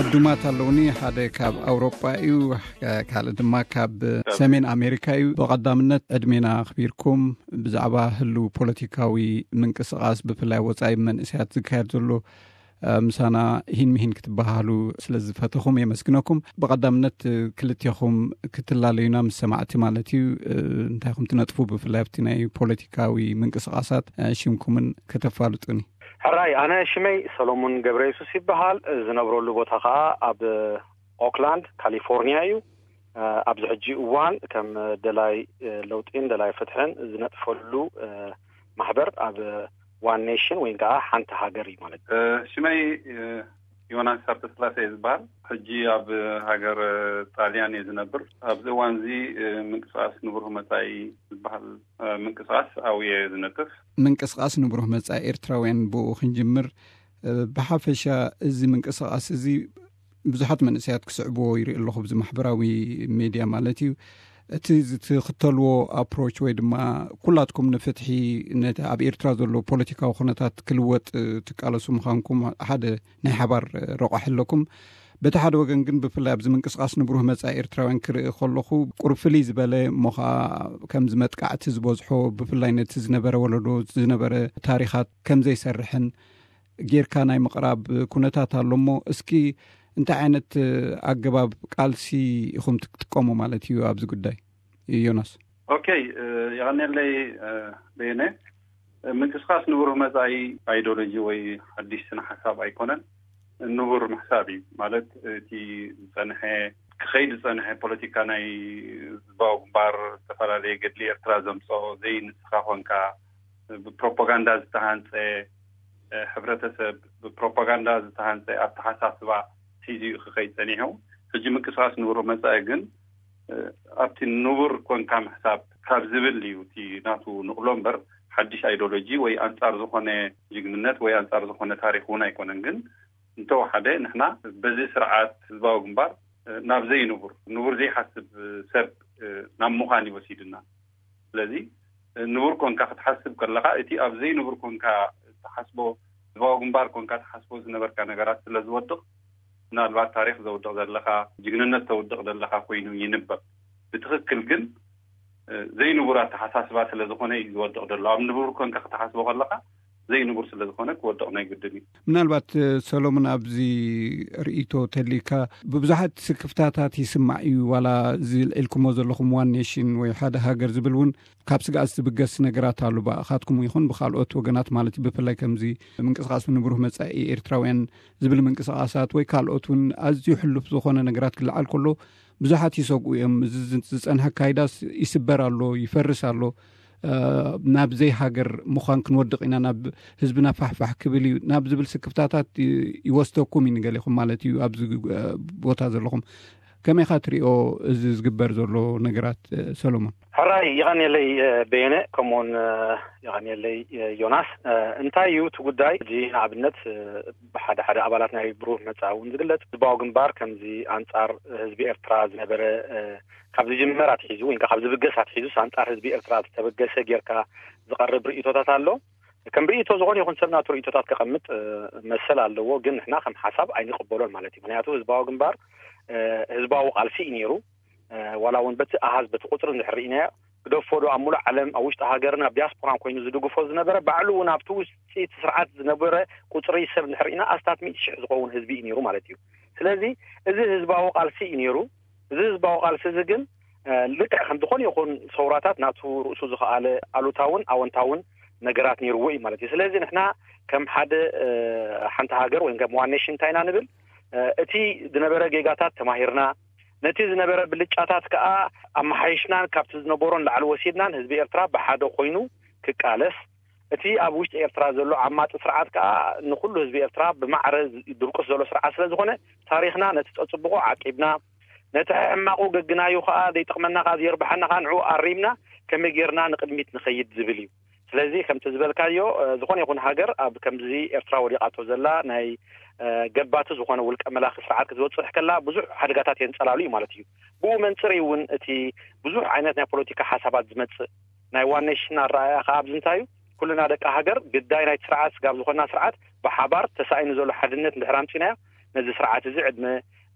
ዕዱማት ኣለውኒ። ሓደ ካብ ኣውሮጳ እዩ፣ ካልእ ድማ ካብ ሰሜን ኣሜሪካ እዩ። ብቐዳምነት ዕድሜና ኣኽቢርኩም ብዛዕባ ህልው ፖለቲካዊ ምንቅስቓስ፣ ብፍላይ ወጻኢ መንእሰያት ዝካየድ ዘሎ፣ እ፣ ምሳና ሂን ምሂን ክትበሃሉ ስለ ዝፈተኹም የመስግነኩም። ብቐዳምነት ክልቴኹም ክትላለዩና ምስ ሰማዕቲ ማለት እዩ፣ እ፣ እንታይ ኢኹም ትነጥፉ፣ ብፍላይ ኣብቲ ናይ ፖለቲካዊ ምንቅስቓሳት፣ እ፣ ሽምኩምን ከተፋልጡኒ። ሕራይ፣ ኣነ ሽመይ ሰሎሙን ገብረ የሱስ ይበሃል። ዝነብረሉ ቦታ ኸኣ ኣብ ኦክላንድ ካሊፎርኒያ እዩ። ኣብዚ ሕጂ እዋን ከም ደላይ ለውጢን ደላይ ፍትሕን ዝነጥፈሉ ማሕበር ኣብ ዋን ኔሽን ወይ ከዓ ሓንቲ ሃገር እዩ ማለት እዩ። ሽመይ ዮናስ ሃብተስላሴ ዝበሃል፣ ሕጂ ኣብ ሃገር ጣልያን እየ ዝነብር። ኣብዚ እዋን እዚ ምንቅስቃስ ንብሩህ መጻኢ ዝበሃል ምንቅስቃስ ኣብየ ዝነጥፍ። ምንቅስቃስ ንብሩህ መጻኢ ኤርትራውያን ብኡ ክንጅምር። ብሓፈሻ እዚ ምንቅስቃስ እዚ ብዙሓት መንእሰያት ክስዕብዎ ይርኢ ኣለኹ፣ ብዚ ማሕበራዊ ሜድያ ማለት እዩ። እቲ ዝትኽተልዎ ኣፕሮች ወይ ድማ ኩላትኩም ንፍትሒ፣ ነቲ ኣብ ኤርትራ ዘሎ ፖለቲካዊ ኩነታት ክልወጥ ትቃለሱ ምዃንኩም ሓደ ናይ ሓባር ረቋሒ ኣለኩም። በቲ ሓደ ወገን ግን ብፍላይ ኣብዚ ምንቅስቃስ ንብሩህ መጻኢ ኤርትራውያን ክርኢ ከለኹ ቁሩብ ፍልይ ዝበለ እሞ ኸኣ ከምዚ መጥቃዕቲ ዝበዝሖ ብፍላይ ነቲ ዝነበረ ወለዶ ዝነበረ ታሪኻት ከምዘይሰርሕን ጌርካ ናይ ምቕራብ ኩነታት ኣሎ እሞ እስኪ እንታይ ዓይነት ኣገባብ ቃልሲ ኢኹም ትጥቀሙ ማለት እዩ ኣብዚ ጉዳይ ዮናስ? ኦኬ፣ የቐንየለይ በየነ። ምንቅስቃስ ንብሩህ መጻኢ ኣይዲዮሎጂ ወይ ሓድሽ ስነ ሓሳብ ኣይኮነን። ንቡር ምሕሳብ እዩ ማለት እቲ ዝጸንሐ ክኸይድ ዝጸንሐ ፖለቲካ ናይ ህዝባዊ ግንባር ዝተፈላለየ ገድሊ ኤርትራ ዘምጽኦ ዘይንስኻ ኮንካ ብፕሮፓጋንዳ ዝተሃንጸ ሕብረተሰብ ብፕሮፓጋንዳ ዝተሃንጸ ኣተሓሳስባ ሒዙ እዩ ክኸይድ ጸኒሑ። ሕጂ ምንቅስቃስ ንቡር መጻኢ ግን ኣብቲ ንቡር ኮንካ ምሕሳብ ካብ ዝብል እዩ እቲ ናቱ ንቕሎ እምበር ሓድሽ ኣይዲዮሎጂ ወይ ኣንጻር ዝኾነ ጅግንነት ወይ ኣንጻር ዝኾነ ታሪኽ እውን ኣይኮነን። ግን እንተወሓደ ንሕና በዚ ስርዓት ህዝባዊ ግንባር ናብ ዘይንቡር ንቡር ዘይሓስብ ሰብ ናብ ምዃን ይወሲድና። ስለዚ ንቡር ኮንካ ክትሓስብ ከለኻ እቲ ኣብ ዘይንቡር ኮንካ ትሓስቦ ህዝባዊ ግንባር ኮንካ ትሓስቦ ዝነበርካ ነገራት ስለ ዝወድቕ ምናልባት ታሪኽ ዘውድቕ ዘለኻ ጅግንነት ተውድቕ ዘለኻ ኮይኑ ይንበብ። ብትኽክል ግን ዘይንቡር ኣተሓሳስባ ስለ ዝኾነ እዩ ዝወድቕ ዘሎ። ኣብ ንቡር ኮንካ ክትሓስቦ ከለኻ ዘይንቡር ስለ ዝኾነ ክወድቕ ናይ ግድን እዩ። ምናልባት ሰሎሞን ኣብዚ ርእይቶ ተሊካ ብብዙሓት ስክፍታታት ይስማዕ እዩ። ዋላ እዚ ልዒልኩሞ ዘለኹም ዋን ኔሽን ወይ ሓደ ሃገር ዝብል እውን ካብ ስግኣት ዝብገስ ነገራት ኣሎ ብኣኻትኩም ይኹን ብካልኦት ወገናት ማለት እዩ። ብፍላይ ከምዚ ምንቅስቃስ ንብሩህ መጻኢ ኤርትራውያን ዝብል ምንቅስቃሳት ወይ ካልኦት እውን ኣዝዩ ሕሉፍ ዝኾነ ነገራት ክለዓል ከሎ ብዙሓት ይሰግኡ እዮም። እዚ ዝጸንሐ ኣካይዳስ ይስበር ኣሎ፣ ይፈርስ ኣሎ፣ ናብ ዘይሃገር ምዃን ክንወድቕ ኢና፣ ናብ ህዝብና ፋሕፋሕ ክብል እዩ ናብ ዝብል ስክፍታታት ይወስደኩም እዩ ንገሌኹም ማለት እዩ። ኣብዚ ቦታ ዘለኹም ከመይኻ ትሪኦ እዚ ዝግበር ዘሎ ነገራት ሰሎሞን? ሕራይ ይቐንየለይ በየነ፣ ከምኡውን ይቐንየለይ ዮናስ። እንታይ እዩ እቲ ጉዳይ? እዚ ንኣብነት ብሓደ ሓደ ኣባላት ናይ ብሩህ መጻኢ እውን ዝግለጽ ህዝባዊ ግንባር ከምዚ ኣንጻር ህዝቢ ኤርትራ ዝነበረ ካብ ዝጅመር ኣትሒዙ ወይ ካብ ዝብገስ ኣትሒዙ ኣንጻር ህዝቢ ኤርትራ ዝተበገሰ ጌርካ ዝቐርብ ርእይቶታት ኣሎ። ከም ርእይቶ ዝኾነ ይኹን ሰብ ናቱ ርእይቶታት ከቐምጥ መሰል ኣለዎ። ግን ንሕና ከም ሓሳብ ኣይንቕበሎን ማለት እዩ። ምክንያቱ ህዝባዊ ግንባር ህዝባዊ ቃልሲ እዩ ነይሩ። ዋላ እውን በቲ ኣሃዝ በቲ ቁፅሪ እንድሕር ርኢናዮ ግደፎ ዶ ኣብ ሙሉእ ዓለም ኣብ ውሽጢ ሃገርን ኣብ ዲያስፖራን ኮይኑ ዝድግፎ ዝነበረ ባዕሉ እውን ኣብቲ ውሽጢ እቲ ስርዓት ዝነበረ ቁፅሪ ሰብ እንድሕር ርኢና ኣስታት ሚእቲ ሽሕ ዝኸውን ህዝቢ እዩ ነይሩ ማለት እዩ። ስለዚ እዚ ህዝባዊ ቃልሲ እዩ ነይሩ። እዚ ህዝባዊ ቃልሲ እዚ ግን ልክዕ ከም ዝኾነ ይኹን ሰውራታት ናቱ ርእሱ ዝኸኣለ ኣሉታውን ኣወንታውን ነገራት ነይርዎ እዩ ማለት እዩ። ስለዚ ንሕና ከም ሓደ ሓንቲ ሃገር ወይ ከም ዋን ኔሽን እንታይ ኢና ንብል? እቲ ዝነበረ ጌጋታት ተማሂርና ነቲ ዝነበረ ብልጫታት ከኣ ኣመሓይሽናን ካብቲ ዝነበሮን ላዕሊ ወሲድናን ህዝቢ ኤርትራ ብሓደ ኮይኑ ክቃለስ እቲ ኣብ ውሽጢ ኤርትራ ዘሎ ዓማጺ ስርዓት ከኣ ንኩሉ ህዝቢ ኤርትራ ብማዕረ ድርቁስ ዘሎ ስርዓት ስለ ዝኾነ ታሪኽና ነቲ ጸጽብቑ ዓቂብና ነቲ ሕማቑ ገግናዩ ከኣ ዘይጠቕመና ከኣ ዘየርብሓና ከኣ ንዕኡ ኣሪምና ከመይ ጌርና ንቕድሚት ንኸይድ ዝብል እዩ። ስለዚ ከምቲ ዝበልካዮ ዝኾነ ይኹን ሃገር ኣብ ከምዚ ኤርትራ ወዲቓቶ ዘላ ናይ ገባቲ ዝኾነ ውልቀ መላኺ ስርዓት ክትወጽሕ ከላ ብዙሕ ሓደጋታት የንጸላሉ እዩ ማለት እዩ። ብኡ መንጽር እውን እቲ ብዙሕ ዓይነት ናይ ፖለቲካ ሓሳባት ዝመጽእ ናይ ዋን ኔሽን ኣረኣያ ከኣ ኣብዚ እንታይ እዩ ኩልና ደቂ ሃገር ግዳይ ናይቲ ስርዓት ስጋብ ዝኾና ስርዓት ብሓባር ተሳኢኑ ዘሎ ሓድነት እንድሕር ኣምጺናዮ ነዚ ስርዓት እዚ ዕድመ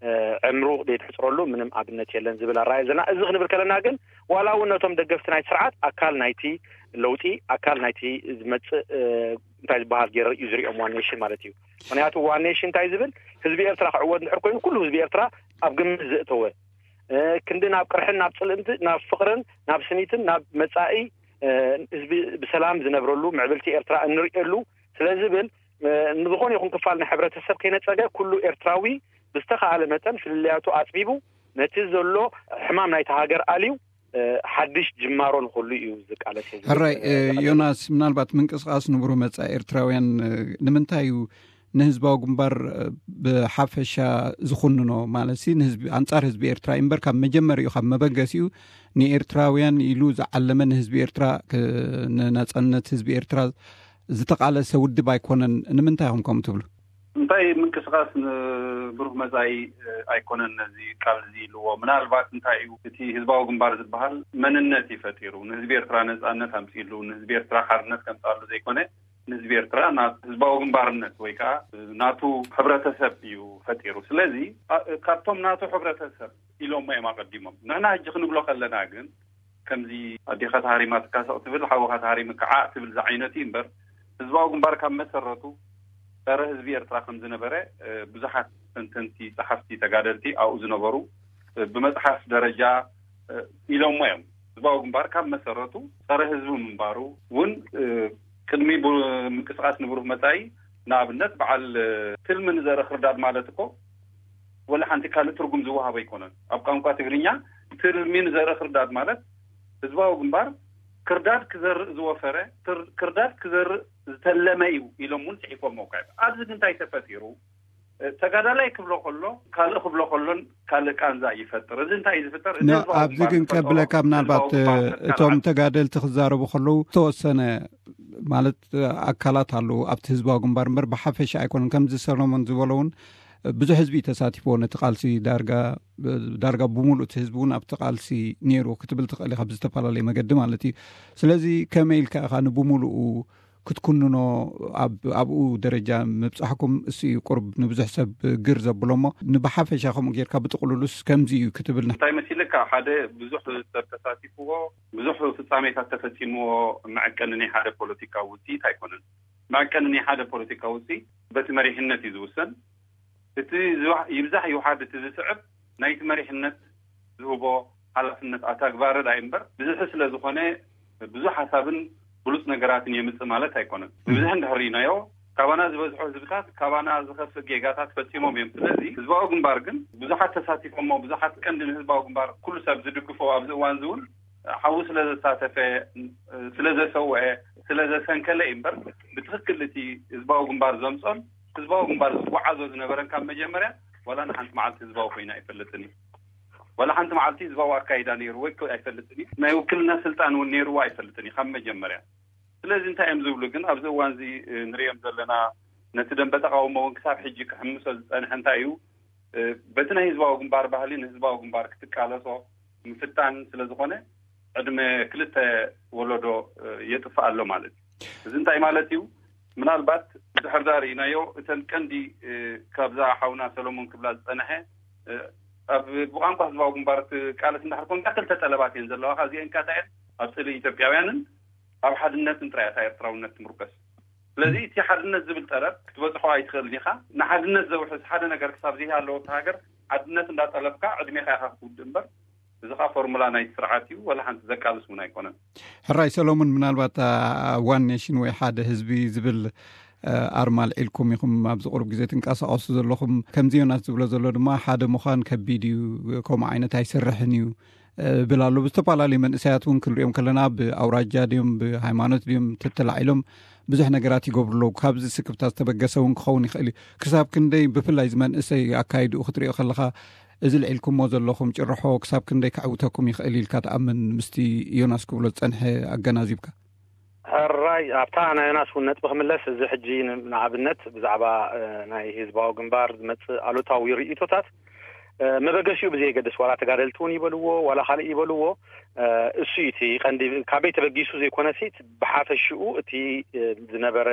ዕምሩ ዘይትሕፅረሉ ምንም ኣብነት የለን ዝብል ኣረኣእያ ዘለና። እዚ ክንብል ከለና ግን ዋላ እውን ነቶም ደገፍቲ ናይ ስርዓት ኣካል ናይቲ ለውጢ፣ ኣካል ናይቲ ዝመፅእ እንታይ ዝበሃል ገይረ እዩ ዝሪኦም ዋን ኔሽን ማለት እዩ። ምክንያቱ ዋን ኔሽን እንታይ ዝብል፣ ህዝቢ ኤርትራ ክዕወት እንድሕር ኮይኑ ኩሉ ህዝቢ ኤርትራ ኣብ ግምት ዘእተወ፣ ክንዲ ናብ ቅርሕን ናብ ፅልእንቲ ናብ ፍቅርን ናብ ስኒትን ናብ መፃኢ ህዝቢ ብሰላም ዝነብረሉ ምዕብልቲ ኤርትራ እንርእየሉ ስለ ዝብል፣ ንዝኾነ ይኹን ክፋል ናይ ሕብረተሰብ ከይነፀገ ኩሉ ኤርትራዊ ብዝተኻኣለ መጠን ፍልልያቱ ኣፅቢቡ ነቲ ዘሎ ሕማም ናይቲ ሃገር ኣልዩ ሓድሽ ጅማሮ ንክሉ እዩ ዝቃለስ። ሕራይ። ዮናስ፣ ምናልባት ምንቅስቃስ ንብሩህ መጻኢ ኤርትራውያን ንምንታይ እዩ ንህዝባዊ ግንባር ብሓፈሻ ዝኹንኖ? ማለት ሲ ንህዝቢ፣ ኣንጻር ህዝቢ ኤርትራ እዩ እምበር ካብ መጀመሪኡ ካብ መበገሲኡ ንኤርትራውያን ኢሉ ዝዓለመ፣ ንህዝቢ ኤርትራ፣ ንናጻነት ህዝቢ ኤርትራ ዝተቃለሰ ውድብ ኣይኮነን። ንምንታይ ኢኹም ከምኡ ትብሉ? እንታይ ምንቅስቃስ ንብሩህ መጻኢ ኣይኮነን ነዚ ቃል እዚ ኢልዎ። ምናልባት እንታይ እዩ እቲ ህዝባዊ ግንባር ዝበሃል መንነት እዩ ፈጢሩ፣ ንህዝቢ ኤርትራ ነጻነት ኣምጺሉ፣ ንህዝቢ ኤርትራ ሓርነት ከምጻሉ ዘይኮነ ንህዝቢ ኤርትራ ናብ ህዝባዊ ግንባርነት ወይ ከዓ ናቱ ሕብረተሰብ እዩ ፈጢሩ። ስለዚ ካብቶም ናቱ ሕብረተሰብ ኢሎሞ እዮም ኣቀዲሞም። ንሕና ሕጂ ክንብሎ ከለና ግን ከምዚ ኣዴኻ ተሃሪማ ትካሰቕ ትብል፣ ሓወኻ ተሃሪሙ ከዓ ትብል ዝዓይነቱ እዩ እምበር ህዝባዊ ግንባር ካብ መሰረቱ ጸረ ህዝቢ ኤርትራ ከም ዝነበረ ብዙሓት ተንተንቲ፣ ጸሓፍቲ፣ ተጋደልቲ ኣብኡ ዝነበሩ ብመጽሓፍ ደረጃ ኢሎሞ እዮም። ህዝባዊ ግንባር ካብ መሰረቱ ጸረ ህዝቢ ምንባሩ እውን ቅድሚ ምንቅስቃስ ንብሩህ መጻኢ ንኣብነት በዓል ትልሚ ንዘርኢ ክርዳድ ማለት እኮ ወላ ሓንቲ ካልእ ትርጉም ዝወሃቦ ኣይኮነን። ኣብ ቋንቋ ትግርኛ ትልሚ ንዘርኢ ክርዳድ ማለት ህዝባዊ ግንባር ክርዳድ ክዘርእ ዝወፈረ፣ ክርዳድ ክዘርእ ዝተለመ እዩ ኢሎም እውን ጽሒፎም። ኣብዚ ግን እንታይ ተፈጢሩ? ተጋዳላይ ክብሎ ከሎ ካልእ ክብሎ ከሎን ካልእ ቃንዛ ይፈጥር። እዚ እንታይ እዩ ዝፍጠር? ኣብዚ ግን ከብለካ፣ ምናልባት እቶም ተጋደልቲ ክዛረቡ ከለዉ ዝተወሰነ ማለት ኣካላት ኣለዉ ኣብቲ ህዝባዊ ግንባር እምበር ብሓፈሻ ኣይኮነን። ከምዚ ሰሎሞን ዝበሎ እውን ብዙሕ ህዝቢ ተሳቲፍዎ ነቲ ቃልሲ፣ ዳርጋ ዳርጋ ብምሉእ እቲ ህዝቢ እውን ኣብቲ ቃልሲ ነይሩ ክትብል ትኽእል ኢኻ ብዝተፈላለየ መገዲ ማለት እዩ። ስለዚ ከመይ ኢልካ ኢኻ ንብምሉኡ ክትኩንኖ ኣብኡ ደረጃ ምብጻሕኩም? እሱ እዩ ቁርብ ንብዙሕ ሰብ ግር ዘብሎ እሞ ንብሓፈሻ ከምኡ ጌርካ ብጥቕሉሉስ ከምዚ እዩ ክትብል እንታይ መሲልካ? ሓደ ብዙሕ ሰብ ተሳቲፍዎ፣ ብዙሕ ፍጻሜታት ተፈጺምዎ መዐቀኒ ናይ ሓደ ፖለቲካዊ ውጽኢት ኣይኮነን። መዐቀኒ ናይ ሓደ ፖለቲካዊ ውጽኢት በቲ መሪሕነት እዩ ዝውሰን። እቲ ይብዛሕ ይውሓድ እቲ ዝስዕብ ናይቲ መሪሕነት ዝህቦ ሓላፍነት ኣታግባሪ ዳይ እምበር ብዝሒ ስለ ዝኾነ ብዙሕ ሓሳብን ብሉፅ ነገራትን የምፅእ ማለት ኣይኮነን። ብብዝሒ እንድሕር ርኢናዮ ካባና ዝበዝሑ ህዝብታት ካባና ዝኸፍእ ጌጋታት ፈፂሞም እዮም። ስለዚ ህዝባዊ ግንባር ግን ብዙሓት ተሳቲፎሞ ብዙሓት ቀንዲ ንህዝባዊ ግንባር ኩሉ ሰብ ዝድግፎ ኣብዚ እዋን እዚ እውን ሓዊ ስለ ዘሳተፈ፣ ስለ ዘሰውአ፣ ስለ ዘሰንከለ እዩ እምበር ብትኽክል እቲ ህዝባዊ ግንባር ዘምፆን ህዝባዊ ግንባር ዝጓዓዞ ዝነበረን ካብ መጀመርያ ዋላ ንሓንቲ መዓልቲ ህዝባዊ ኮይኑ ኣይፈልጥን እዩ። ዋላ ሓንቲ መዓልቲ ህዝባዊ ኣካይዳ ነይርዎ ኣይፈልጥን እዩ። ናይ ውክልና ስልጣን እውን ነይርዎ ኣይፈልጥን እዩ ካብ መጀመርያ። ስለዚ እንታይ እዮም ዝብሉ ግን ኣብዚ እዋን እዚ ንሪኦም ዘለና ነቲ ደንበ ተቃውሞ እውን ክሳብ ሕጂ ክሕምሶ ዝፀንሐ እንታይ እዩ? በቲ ናይ ህዝባዊ ግንባር ባህሊ ንህዝባዊ ግንባር ክትቃለሶ ምፍታን ስለ ዝኾነ ዕድመ ክልተ ወለዶ የጥፍእ ኣሎ ማለት እዩ። እዚ እንታይ ማለት እዩ? ምናልባት ድሕር ዳ ርኢናዮ እተን ቀንዲ ካብዛ ሓውና ሰሎሞን ክብላ ዝፀንሐ ኣብ ብቋንቋ ህዝባዊ ግንባር ትቃለስ እንዳሕር ኮንካ ክልተ ጠለባት እየን ዘለዋ። ካብዚአን ካታየን ኣብ ፅልኢ ኢትዮጵያውያንን ኣብ ሓድነትን ጥራይ እታ ኤርትራውነት ትምርኮስ። ስለዚ እቲ ሓድነት ዝብል ጠለብ ክትበፅሖ ኣይትኽእልን ኢኻ። ንሓድነት ዘውሕስ ሓደ ነገር ክሳብ ዘይሃለወ እታ ሃገር ሓድነት እንዳጠለብካ ዕድሜኻ ኢኻ ክትውድእ እምበር እዚ ኸዓ ፎርሙላ ናይቲ ስርዓት እዩ። ወላ ሓንቲ ዘቃልስ እውን ኣይኮነን። ሕራይ ሰሎሙን፣ ምናልባት ዋን ኔሽን ወይ ሓደ ህዝቢ ዝብል ኣርማ ኣልዒልኩም ኢኹም ኣብዚ ቁሩብ ግዜ ትንቀሳቐሱ ዘለኹም። ከምዚ ዮናስ ዝብሎ ዘሎ ድማ ሓደ ምዃን ከቢድ እዩ፣ ከምኡ ዓይነት ኣይሰርሕን እዩ ብል ኣሎ። ብዝተፈላለዩ መንእሰያት እውን ክንሪኦም ከለና ብኣውራጃ ድዮም ብሃይማኖት ድዮም ተተላዒሎም ብዙሕ ነገራት ይገብሩ ኣለዉ። ካብዚ ስክፍታ ዝተበገሰ እውን ክኸውን ይኽእል እዩ። ክሳብ ክንደይ ብፍላይ እዚ መንእሰይ ኣካይድኡ ክትሪኦ ከለኻ እዚ ልዒልኩሞ ዘለኹም ጭርሖ ክሳብ ክንደይ ከዕውተኩም ይኽእል ኢልካ ትኣምን? ምስቲ ዮናስ ክብሎ ዝጸንሐ ኣገናዚብካ። ሕራይ ኣብታ ናይ ዮናስ እውን ነጥቢ ክምለስ፣ እዚ ሕጂ ንኣብነት ብዛዕባ ናይ ህዝባዊ ግንባር ዝመጽእ ኣሉታዊ ርእይቶታት መበገሲኡ ብዘየገድስ፣ ዋላ ተጋደልቲ እውን ይበልዎ ዋላ ካልእ ይበልዎ፣ እሱ እዩ እቲ ቀንዲ። ካበይ ተበጊሱ ዘይኮነሲ፣ ብሓፈሽኡ እቲ ዝነበረ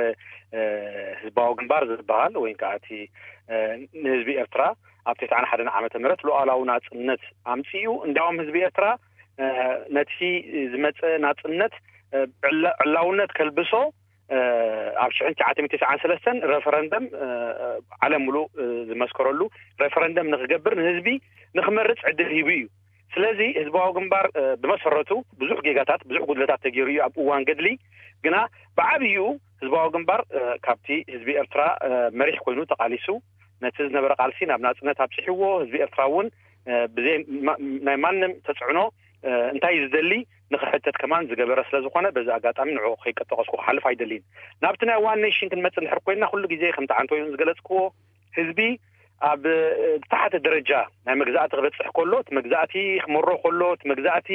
ህዝባዊ ግንባር ዝበሃል ወይ ከዓ እቲ ንህዝቢ ኤርትራ ኣብ ተስዓን ሓደን ዓመተ ምህረት ሉዓላዊ ናጽነት ኣምጺኡ። እንዲያውም ህዝቢ ኤርትራ ነቲ ዝመጸ ናጽነት ዕላውነት ከልብሶ ኣብ ሽሕን ትሽዓተ ሚእትን ተስዓን ሰለስተን ሬፈረንደም፣ ዓለም ሙሉእ ዝመስከረሉ ሬፈረንደም ንክገብር፣ ንህዝቢ ንክመርጽ ዕድል ሂቡ እዩ። ስለዚ ህዝባዊ ግንባር ብመሰረቱ ብዙሕ ጌጋታት፣ ብዙሕ ጉድለታት ተገይሩ እዩ ኣብ እዋን ገድሊ። ግና ብዓብይኡ ህዝባዊ ግንባር ካብቲ ህዝቢ ኤርትራ መሪሕ ኮይኑ ተቃሊሱ፣ ነቲ ዝነበረ ቃልሲ ናብ ናጽነት ኣብጽሕዎ። ህዝቢ ኤርትራ እውን ብዘይ ናይ ማንም ተጽዕኖ እንታይ ዝደሊ ንክሕተት ከማን ዝገበረ ስለ ዝኾነ፣ በዚ ኣጋጣሚ ንዕኡ ከይጠቀስኩ ክሓልፍ ኣይደልን። ናብቲ ናይ ዋን ኔሽን ክንመጽእ እንድሕር ኮይና፣ ኩሉ ግዜ ከምቲ ዓንቶይን ዝገለጽክዎ፣ ህዝቢ ኣብ ታሕቲ ደረጃ ናይ መግዛእቲ ክበጽሕ ከሎ፣ እቲ መግዛእቲ ክመሮ ከሎ፣ እቲ መግዛእቲ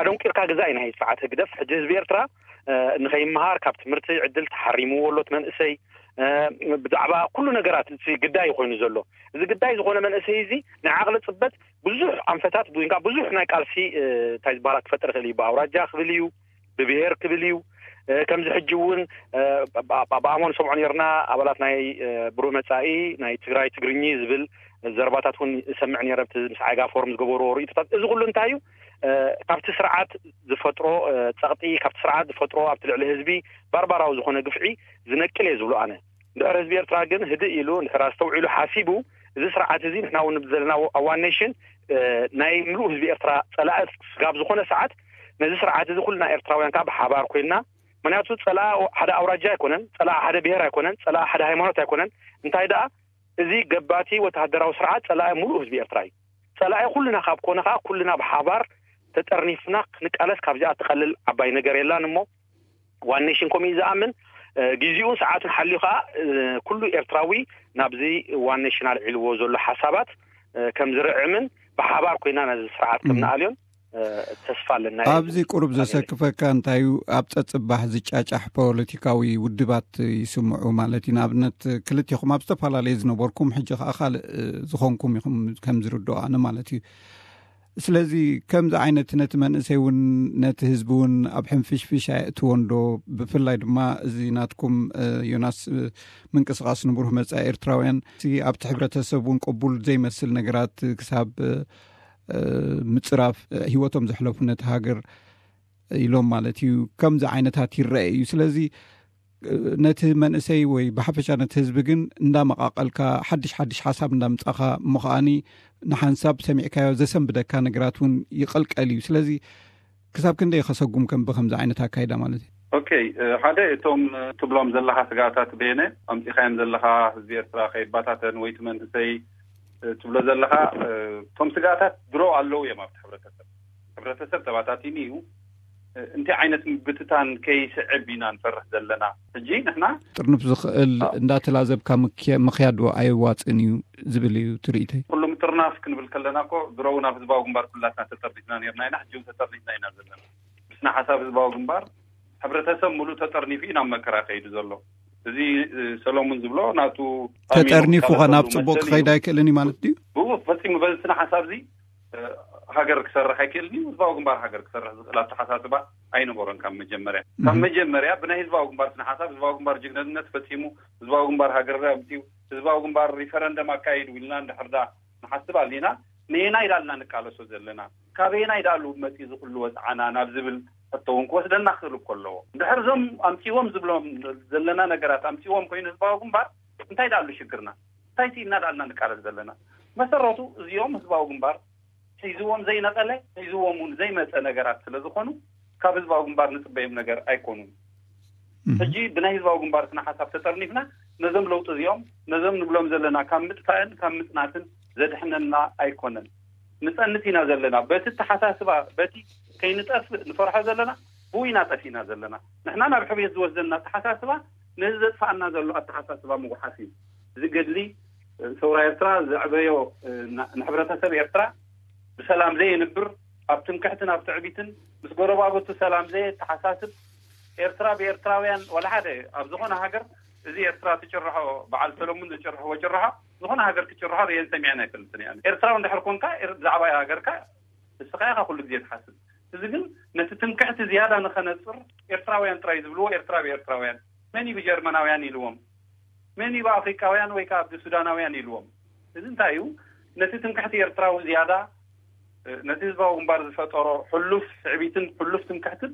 ኣደንቂርካ ግዛእ ኢና ስርዓት ህግደፍ። ሕጂ ህዝቢ ኤርትራ ንኸይመሃር፣ ካብ ትምህርቲ ዕድል ተሓሪምዎ ኣሎ እቲ መንእሰይ። ብዛዕባ ኩሉ ነገራት እቲ ግዳይ ኮይኑ ዘሎ፣ እዚ ግዳይ ዝኾነ መንእሰይ እዚ ናይ ዓቕሊ ጽበት ብዙሕ ኣንፈታት ወይ ከዓ ብዙሕ ናይ ቃልሲ እንታይ ዝበሃላ ክፈጥር ይኽእል እዩ። ብኣውራጃ ክብል እዩ፣ ብብሄር ክብል እዩ። ከምዚ ሕጂ እውን ብኣሞን ሰምዖ ነርና፣ ኣባላት ናይ ብሩህ መጻኢ ናይ ትግራይ ትግርኚ ዝብል ዘረባታት እውን እሰምዕ ነረ፣ ምስ ዓይጋ ፎርም ዝገበርዎ ርእይቶታት። እዚ ኩሉ እንታይ እዩ? ካብቲ ስርዓት ዝፈጥሮ ጸቕጢ፣ ካብቲ ስርዓት ዝፈጥሮ ኣብቲ ልዕሊ ህዝቢ ባርባራዊ ዝኾነ ግፍዒ ዝነቅል እየ ዝብሎ ኣነ። እንድሕር ህዝቢ ኤርትራ ግን ህድእ ኢሉ፣ እንድሕር ኣስተውዒሉ ሓሲቡ፣ እዚ ስርዓት እዚ ንሕና እውን ንብል ዘለና ኣብ ዋን ኔሽን ናይ ምሉእ ህዝቢ ኤርትራ ጸላኢ ስጋብ ዝኾነ ሰዓት፣ ነዚ ስርዓት እዚ ኩልና ኤርትራውያን ከዓ ብሓባር ኮይንና፣ ምክንያቱ ጸላኢ ሓደ ኣውራጃ ኣይኮነን፣ ጸላኢ ሓደ ብሄር ኣይኮነን፣ ጸላኢ ሓደ ሃይማኖት ኣይኮነን። እንታይ ደኣ፣ እዚ ገባቲ ወተሃደራዊ ስርዓት ጸላኢ ምሉእ ህዝቢ ኤርትራ እዩ። ጸላኢ ኩልና ካብ ኮነ ከዓ፣ ኩልና ብሓባር ተጠርኒፍና ክንቃለስ ካብዚኣ ትቐልል ዓባይ ነገር የላን። እሞ ዋን ኔሽን ከምኡ እዩ ዝኣምን። ግዜኡን ሰዓቱን ሓልዩ ከዓ ኩሉ ኤርትራዊ ናብዚ ዋን ኔሽን ኣልዒልዎ ዘሎ ሓሳባት ከም ዝርዕምን ብሓባር ኮይና ነዚ ስርዓት ከም ንኣልዮን ተስፋ ኣለና። ኣብዚ ቁሩብ ዘሰክፈካ እንታይ እዩ፣ ኣብ ጸጽባሕ ዝጫጫሕ ፖለቲካዊ ውድባት ይስምዑ ማለት እዩ። ንኣብነት ክልቴኹም ኣብ ዝተፈላለየ ዝነበርኩም፣ ሕጂ ከዓ ካልእ ዝኾንኩም ኢኹም ከም ዝርድኦ ኣነ ማለት እዩ። ስለዚ ከምዚ ዓይነት ነቲ መንእሰይ እውን ነቲ ህዝቢ እውን ኣብ ሕንፍሽፍሽ ኣየእትዎን ዶ? ብፍላይ ድማ እዚ ናትኩም ዮናስ ምንቅስቃስ ንብሩህ መጻኢ ኤርትራውያን ኣብቲ ሕብረተሰብ እውን ቅቡል ዘይመስል ነገራት ክሳብ ምጽራፍ ህይወቶም ዘሕለፉ ነቲ ሃገር ኢሎም ማለት እዩ። ከምዚ ዓይነታት ይረአ እዩ። ስለዚ ነቲ መንእሰይ ወይ ብሓፈሻ ነቲ ህዝቢ ግን እንዳመቃቀልካ፣ ሓድሽ ሓድሽ ሓሳብ እንዳምጻኻ፣ እሞ ከዓኒ ንሓንሳብ ሰሚዕካዮ ዘሰንብደካ ነገራት እውን ይቀልቀል እዩ። ስለዚ ክሳብ ክንደይ ከሰጉም ከም ብከምዚ ዓይነት ኣካይዳ ማለት እዩ? ኦኬ፣ ሓደ እቶም ትብሎም ዘለኻ ስጋታት በየነ ኣምጺኻዮም ዘለኻ፣ ህዝቢ ኤርትራ ከይባታተን ወይ እቲ መንእሰይ ትብሎ ዘለኻ፣ እቶም ስጋታት ድሮ ኣለዉ እዮም ኣብቲ ሕብረተሰብ። ሕብረተሰብ ተባታቲኑ እዩ። እንታይ ዓይነት ምብትታን ከይስዕብ ኢና ንፈርሕ ዘለና? ሕጂ ንሕና ጥርንፍ ዝኽእል እንዳተላዘብካ ምክያድ ኣየዋፅን እዩ ዝብል እዩ ትርኢተይ። ኩሉ ምጥርናፍ ክንብል ከለና እኮ ድሮ እውን ኣብ ህዝባዊ ግንባር ኩላትና ተጠርኒፍና ነርና ኢና፣ ሕጂ እውን ተጠርኒፍና ኢና ዘለና። ብስነ ሓሳብ ህዝባዊ ግንባር ሕብረተሰብ ሙሉእ ተጠርኒፉ እዩ ናብ መከራ ከይዱ ዘሎ። እዚ ሰሎሙን ዝብሎ ናቱ ተጠርኒፉ ናብ ፅቡቅ ክኸይድ ኣይክእልን እዩ ማለት ድዩ? ብኡ ፈፂሙ በዚ ስነ ሓሳብ እዚ ሃገር ክሰርሕ ኣይክእልን እዩ። ህዝባዊ ግንባር ሃገር ክሰርሕ ዝኽእል ኣተሓሳስባ ኣይነበሮን ካብ መጀመርያ። ካብ መጀመርያ ብናይ ህዝባዊ ግንባር ስነ ሓሳብ ህዝባዊ ግንባር ጅግንነት ፈፂሙ፣ ህዝባዊ ግንባር ሃገር ኣምፅኡ፣ ህዝባዊ ግንባር ሪፈረንደም ኣካይዱ ኢልና እንድሕርዳ ንሓስብ ኣሊና፣ ነየናይ ዳልና ንቃለሶ ዘለና፣ ካበየናይ ዳሉ መፂ ዝኽሉ ወፅዓና ናብ ዝብል ሕቶ እውን ክወስደና ክኽእል እኮ ኣለዎ። እንድሕር እዞም ኣምፅዎም ዝብሎም ዘለና ነገራት ኣምፅዎም ኮይኑ ህዝባዊ ግንባር እንታይ ዳሉ ሽግርና? እንታይ ስኢና ዳልና ንቃለስ ዘለና? መሰረቱ እዚኦም ህዝባዊ ግንባር ሒዝዎም ዘይነቐለ፣ ሒዝዎም እውን ዘይመፀ ነገራት ስለ ዝኾኑ ካብ ህዝባዊ ግንባር ንፅበዮም ነገር ኣይኮኑን። ሕጂ ብናይ ህዝባዊ ግንባር ስነ ሓሳብ ተጠርኒፍና ነዞም ለውጢ እዚኦም፣ ነዞም ንብሎም ዘለና ካብ ምጥፋእን ካብ ምፅናትን ዘድሕነና ኣይኮነን። ንፀንት ኢና ዘለና። በቲ ኣተሓሳስባ፣ በቲ ከይንጠፍእ ንፈርሖ ዘለና፣ ብኡ ኢና ጠፊእና ዘለና። ንሕና ናብ ሕውየት ዝወስደና ኣተሓሳስባ ነዚ ዘጥፋኣና ዘሎ ኣተሓሳስባ ምጉሓፍ እዩ። እዚ ገድሊ ሰውራ ኤርትራ ዘዕበዮ ንሕብረተሰብ ኤርትራ ብሰላም ዘየንብር፣ ኣብ ትምክሕትን ኣብ ትዕቢትን ምስ ጎረባብቱ ሰላም ዘየተሓሳስብ፣ ኤርትራ ብኤርትራውያን ዋላ ሓደ ኣብ ዝኾነ ሃገር እዚ ኤርትራ ትጭርሖ፣ በዓል ሰለሙን ዝጭርሕዎ ጭርሖ ዝኾነ ሃገር ክጭርሖ ርእየን ሰሚዐን ኣይፈልጥን እየ። ኤርትራዊ እንድሕር ኮንካ፣ ኤር- ብዛዕባ ሃገርካ ንስኻ ኢኻ ኩሉ ግዜ ትሓስብ። እዚ ግን ነቲ ትምክሕቲ ዝያዳ ንኸነጽር፣ ኤርትራውያን ጥራይ ዝብልዎ፣ ኤርትራ ብኤርትራውያን፣ መን እዩ ብጀርመናውያን ኢልዎም፣ መን እዩ ብኣፍሪቃውያን ወይ ከዓ ብሱዳናውያን ኢልዎም። እዚ እንታይ እዩ? ነቲ ትምክሕቲ ኤርትራዊ ዝያዳ፣ ነቲ ህዝባዊ ግንባር ዝፈጠሮ ሕሉፍ ትዕቢትን ሕሉፍ ትምክሕትን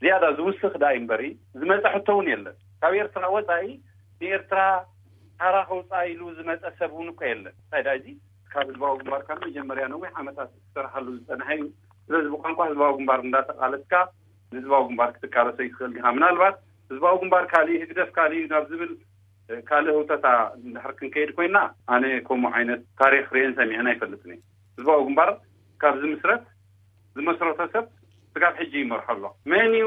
ዝያዳ ዝውስኽ ዳኣ እምበሪ፣ ዝመጸ ሕቶ እውን የለን። ካብ ኤርትራ ወጻኢ ንኤርትራ ታራ ከውጻእ ኢሉ ዝመጸ ሰብ እውን እኮ የለን። እንታይ ዳኣ እዚ ካብ ህዝባዊ ግንባር ካብ መጀመርያ ነዊሕ ዓመታት ዝሰርሓሉ ዝጸንሐ እዩ። ስለዚ ብቋንቋ ህዝባዊ ግንባር እንዳተቃለስካ ንህዝባዊ ግንባር ክትቃለሶ ይትኽእል ዲኻ? ምናልባት ህዝባዊ ግንባር ካሊእ፣ ህግደፍ ካሊእ ናብ ዝብል ካልእ ህውተታ እንድሕር ክንከይድ ኮይና፣ ኣነ ከምኡ ዓይነት ታሪኽ ርእየን ሰሚዐን ኣይፈልጥን እየ። ህዝባዊ ግንባር ካብ ዝምስረት፣ ዝመስረቶ ሰብ ስጋብ ሕጂ ይመርሖ ኣሎ። መን እዩ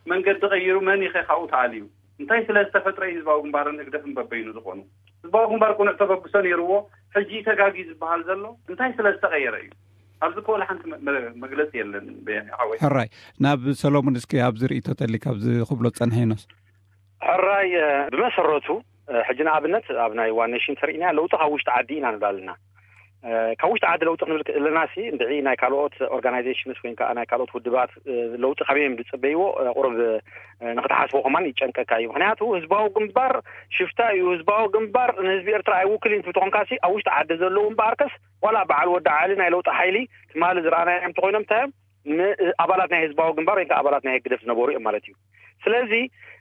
መንገዲ ቀይሩ፣ መን እዩ ከ ካብኡ ተኣልዩ? እንታይ ስለ ዝተፈጥረ እዩ ህዝባዊ ግንባርን ህግደፍን በበይኑ ዝኾኑ? ህዝባዊ ግንባር ቅኑዕ ተበግሶ ነይርዎ፣ ሕጂ ተጋጊ ዝበሃል ዘሎ እንታይ ስለ ዝተቐየረ እዩ? ኣብዚ እኮ ወላ ሓንቲ መ- መ- መግለጺ የለን። በየነ ሓወይ። ሕራይ፣ ናብ ሰሎሙን እስኪ ኣብዚ ርእይቶ ተሊ ካብዚ ክብሎ ዝጸንሐ ዮናስ። ሕራይ፣ እ፣ ብመሰረቱ፣ እ፣ ሕጂ ንኣብነት ኣብ ናይ ዋን ኔሽን ተርእይና ለውጢ ካብ ውሽጢ ዓዲ ኢና ንብል ኣለና። እ፣ ካብ ውሽጢ ዓዲ ለውጢ ክንብል ከለና ሲ እንድዒ ናይ ካልኦት ኦርጋናይዜሽንስ ወይ ከዓ ናይ ካልኦት ውድባት፣ እ፣ ለውጢ ካበይ እዮም ዝጽበይዎ፣ እ፣ ቁሩብ፣ እ፣ ንክትሓስቦ ከማን ይጨንቀካ እዩ። ምክንያቱ ህዝባዊ ግንባር ሽፍታ እዩ፣ ህዝባዊ ግንባር ንህዝቢ ኤርትራ ኣይውክልን ትብል ተኾንካ ሲ ኣብ ውሽጢ ዓዲ ዘለዉ እምበኣርከስ ዋላ በዓል ወዲ ዓሊ ናይ ለውጢ ሓይሊ ትማሊ ዝረኣናዮም እንተኾይኖም እንታይ እዮም? ን- ኣባላት ናይ ህዝባዊ ግንባር ወይ ከዓ ኣባላት ናይ ህግደፍ ዝነበሩ እዮም ማለት እዩ። ስለዚ፣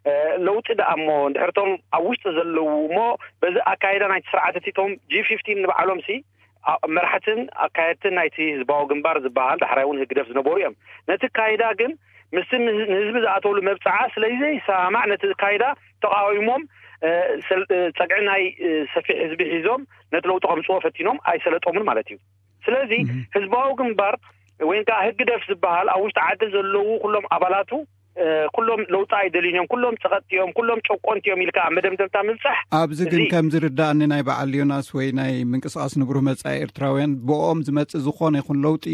እ፣ ለውጢ ደኣ እሞ እንድሕር እቶም ኣብ ውሽጢ ዘለዉ እሞ በዚ ኣካይዳ ናይቲ ስርዓት እቲ እቶም ጂ ፊፍቲን ንባዕሎም ሲ ኣ- መራሕትን ኣካየድትን ናይቲ ህዝባዊ ግንባር ዝበሃል ዳሕራይ እውን ህግደፍ ዝነበሩ እዮም። ነቲ ኣካይዳ ግን ምስቲ ንህ- ንህዝቢ ዝኣተውሉ መብፅዓ ስለዘይሰማማዕ ነቲ ኣካይዳ ተቃዊሞም፣ እ፣ ሰል- እ፣ ፀግዒ ናይ፣ እ፣ ሰፊሕ ህዝቢ ሒዞም ነቲ ለውጢ ከምፅዎ ፈቲኖም ኣይሰለጦምን ማለት እዩ። ስለዚ ህዝባዊ ግንባር ወይ ከዓ ህግደፍ ዝበሃል ኣብ ውሽጢ ዓዲ ዘለዉ ኩሎም ኣባላቱ፣ እ፣ ኩሎም ለውጢ ኣይደልዩን እዮም፣ ኩሎም ፀቐጥቲ እዮም፣ ኩሎም ጨቆንቲ እዮም ኢልካ ኣብ መደምደምታ ምብፃሕ ኣብዚ ግን እዚ ከም ዝርዳእኒ ናይ በዓል ዮናስ ወይ ናይ ምንቅስቃስ ንብሩህ መጻኢ ኤርትራውያን ብኦም ዝመጽእ ዝኾነ ይኹን ለውጢ፣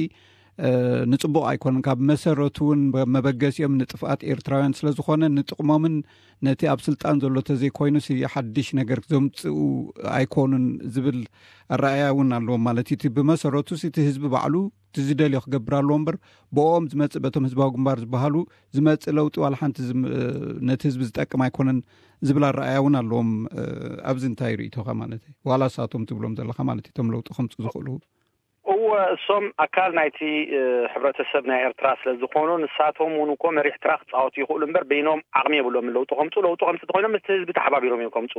እ፣ ንጽቡቕ ኣይኮነን። ካብ መሰረቱ እውን መበገሲኦም ንጥፍኣት ኤርትራውያን ስለ ዝኾነ ንጥቕሞምን ነቲ ኣብ ስልጣን ዘሎ ተዘይኮይኑስ ሓድሽ ነገር ዘምጽኡ ኣይኮኑን ዝብል ኣረኣእያ እውን ኣለዎም። ማለት እቲ ብመሰረቱ እቲ ህዝቢ ባዕሉ እቲ ዝደልዮ ክገብር ኣለዎ እምበር ብኦም ዝመጽእ በቶም ህዝባዊ ግንባር ዝበሃሉ ዝመጽእ ለውጢ ዋላ ሓንቲ ዝም- ነቲ ህዝቢ ዝጠቅም ኣይኮነን ዝብል ኣረኣእያ እውን ኣለዎም። እ፣ ኣብዚ እንታይ ርእይቶኻ ማለት እዩ? ዋላ ሳቶም ትብሎም ዘለኻ ማለት እዩ፣ እቶም ለውጢ ከምፁ ዝኽእሉ? እወ፣ እሶም ኣካል ናይቲ፣ እ፣ ሕብረተሰብ ናይ ኤርትራ ስለ ዝኾኑ ንሳቶም እውን እኮ መሪሕ ትራ ክፃወቱ ይኽእሉ እምበር በይኖም ዓቕሚ የብሎም ለውጢ ከምፁ። ለውጢ ከምፁ እንተኮይኖም ምስቲ ህዝቢ ተሓባቢሮም እዮም ከምፁ።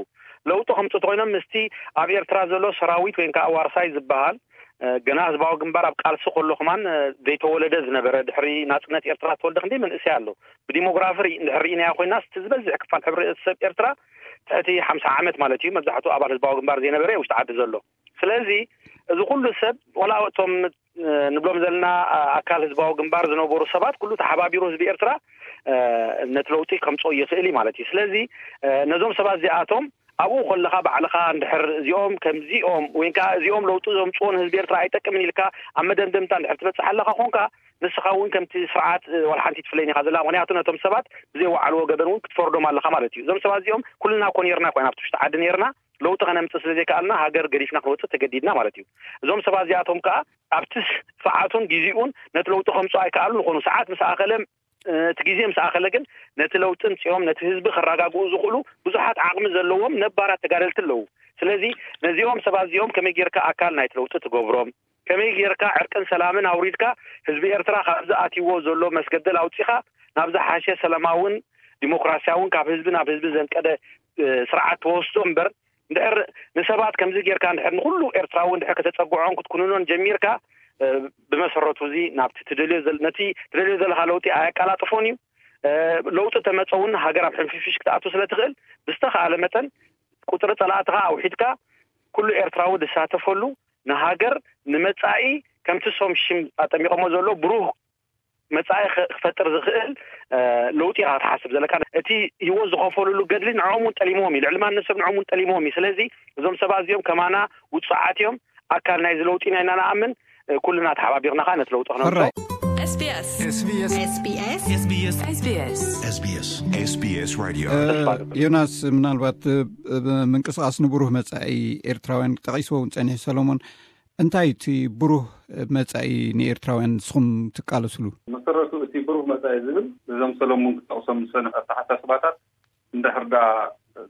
ለውጢ ከምፁ እንተኮይኖም ምስቲ ኣብ ኤርትራ ዘሎ ሰራዊት ወይ ከዓ ዋርሳይ ዝበሃል፣ እ፣ ገና ህዝባዊ ግንባር ኣብ ቃልሲ ከሎ ከማን፣ እ፣ ዘይተወለደ ዝነበረ፣ ድሕሪ ናፅነት ኤርትራ ተወልደ ክንደይ መንእሰይ ኣሎ። ብዲሞግራፊ ርኢ- እንድሕር ርኢናዮ ኮይና እቲ ዝበዝሕ ክፋል ሕብረተሰብ ኤርትራ ትሕቲ ሓምሳ ዓመት ማለት እዩ። መብዛሕትኡ ኣባል ህዝባዊ ግንባር ዘይነበረ ውሽጢ ዓዲ ዘሎ። ስለዚ እዚ ኩሉ ሰብ ዋላ እቶም፣ እ፣ ንብሎም ዘለና፣ እ፣ ኣካል ህዝባዊ ግንባር ዝነበሩ ሰባት ኩሉ ተሓባቢሩ ህዝቢ ኤርትራ፣ እ፣ ነቲ ለውጢ ከምፅኦ ይኽእል እዩ ማለት እዩ። ስለዚ፣ እ፣ ነዞም ሰባት እዚኣቶም ኣብኡ ከለኻ ባዕልኻ እንድሕር እዚኦም ከምዚኦም ወይ ከዓ እዚኦም ለውጢ ዘምፅዎ ንህዝቢ ኤርትራ ኣይጠቅምን ኢልካ ኣብ መደምደምታ እንድሕር ትበፅሕ ኣለኻ ኮንካ ንስኻ እውን ከምቲ ስርዓት፣ እ፣ ዋላ ሓንቲ ትፍለይን ኢኻ ዘላ። ምክንያቱ ነቶም ሰባት ብዘይ ወዓልዎ ገበን እውን ክትፈርዶም ኣለኻ ማለት እዩ። እዞም ሰባት እዚኦም ኩልና እኮ ነርና ኮይና ኣብቲ ውሽጢ ዓዲ ነርና ለውጢ ከነምፅእ ስለ ዘይከኣልና ሃገር ገዲፍና ክንወፅእ ተገዲድና ማለት እዩ። እዞም ሰባት እዚኣቶም ከዓ ኣብቲ ሰዓቱን ግዜኡን ነቲ ለውጢ ከምፅኦ ኣይከኣሉን ይኾኑ። ሰዓት ምስ ኣኸለ፣ እ፣ እቲ ግዜ ምስ ኣኸለ ግን ነቲ ለውጢ ምፅኦም ነቲ ህዝቢ ከረጋግኡ ዝኽእሉ ብዙሓት ዓቕሚ ዘለዎም ነባራት ተጋደልቲ ኣለዉ። ስለዚ ነዚኦም ሰባት እዚኦም ከመይ ጌርካ ኣካል ናይቲ ለውጢ ትገብሮም? ከመይ ጌርካ ዕርቅን ሰላምን ኣውሪድካ ህዝቢ ኤርትራ ካብዚ ኣትይዎ ዘሎ መስገደል ኣውፂኻ ናብ ዝሓሸ ሰላማውን ዲሞክራሲያውን ካብ ህዝቢ ናብ ህዝቢ ዘንቀደ፣ እ፣ ስርዓት ትወስዶ እምበር እንድሕር ንሰባት ከምዚ ጌርካ እንድሕር ንኹሉ ኤርትራዊ እንድሕር ከተጸግዖን ክትኩንኖን ጀሚርካ፣ እ፣ ብመሰረቱ እዚ ናብቲ ትደልዮ ዘል- ነቲ ትደልዮ ዘለኻ ለውጢ ኣየቀላጥፎን እዩ። እ፣ ለውጢ ተመጸ እውን ሃገር ኣብ ሕንፍሽፍሽ ክትኣቱ ስለ ትኽእል ብዝተኻእለ መጠን ቁጽሪ ጸላእትኻ ኣውሒድካ ኩሉ ኤርትራዊ ዝሳተፈሉ ንሃገር ንመጻኢ ከምቲ ሶም ሽም ኣጠሚቖሞ ዘሎ ብሩህ መጻኢ ኸ- ክፈጥር ዝኽእል፣ እ፣ ለውጢ ኢኻ ክትሓስብ ዘለካ። እቲ ህይወት ዝኸፈልሉ ገድሊ ንዕኦም እውን ጠሊምዎም እዩ። ልዕሊ ማንም ሰብ ንዕኦም እውን ጠሊምዎም እዩ። ስለዚ እዞም ሰባት እዚኦም ከማና ውጹዓት እዮም። ኣካል ናይዚ ለውጢ ኢና ኢና ንኣምን። እ፣ ኩልና ተሓባቢርና ኸኣ ነቲ ለውጢ ክነምጽኦ ሕራይ። SBS SBS SBS SBS SBS SBS SBS Radio። ዮናስ፣ ምናልባት ምንቅስቃስ ንብሩህ መጻኢ ኤርትራውያን ጠቂስዎ እውን ጸኒሑ። ሰሎሞን፣ እንታይ እቲ ብሩህ መጻኢ ንኤርትራውያን ንስኹም ትቃለስሉ? መሰረቱ እቲ ብሩህ መጻኢ ዝብል እዞም ሰሎሞን ክጠቕሶም ዝሰንፍ ኣተሓሳስባታት እንድሕር ደኣ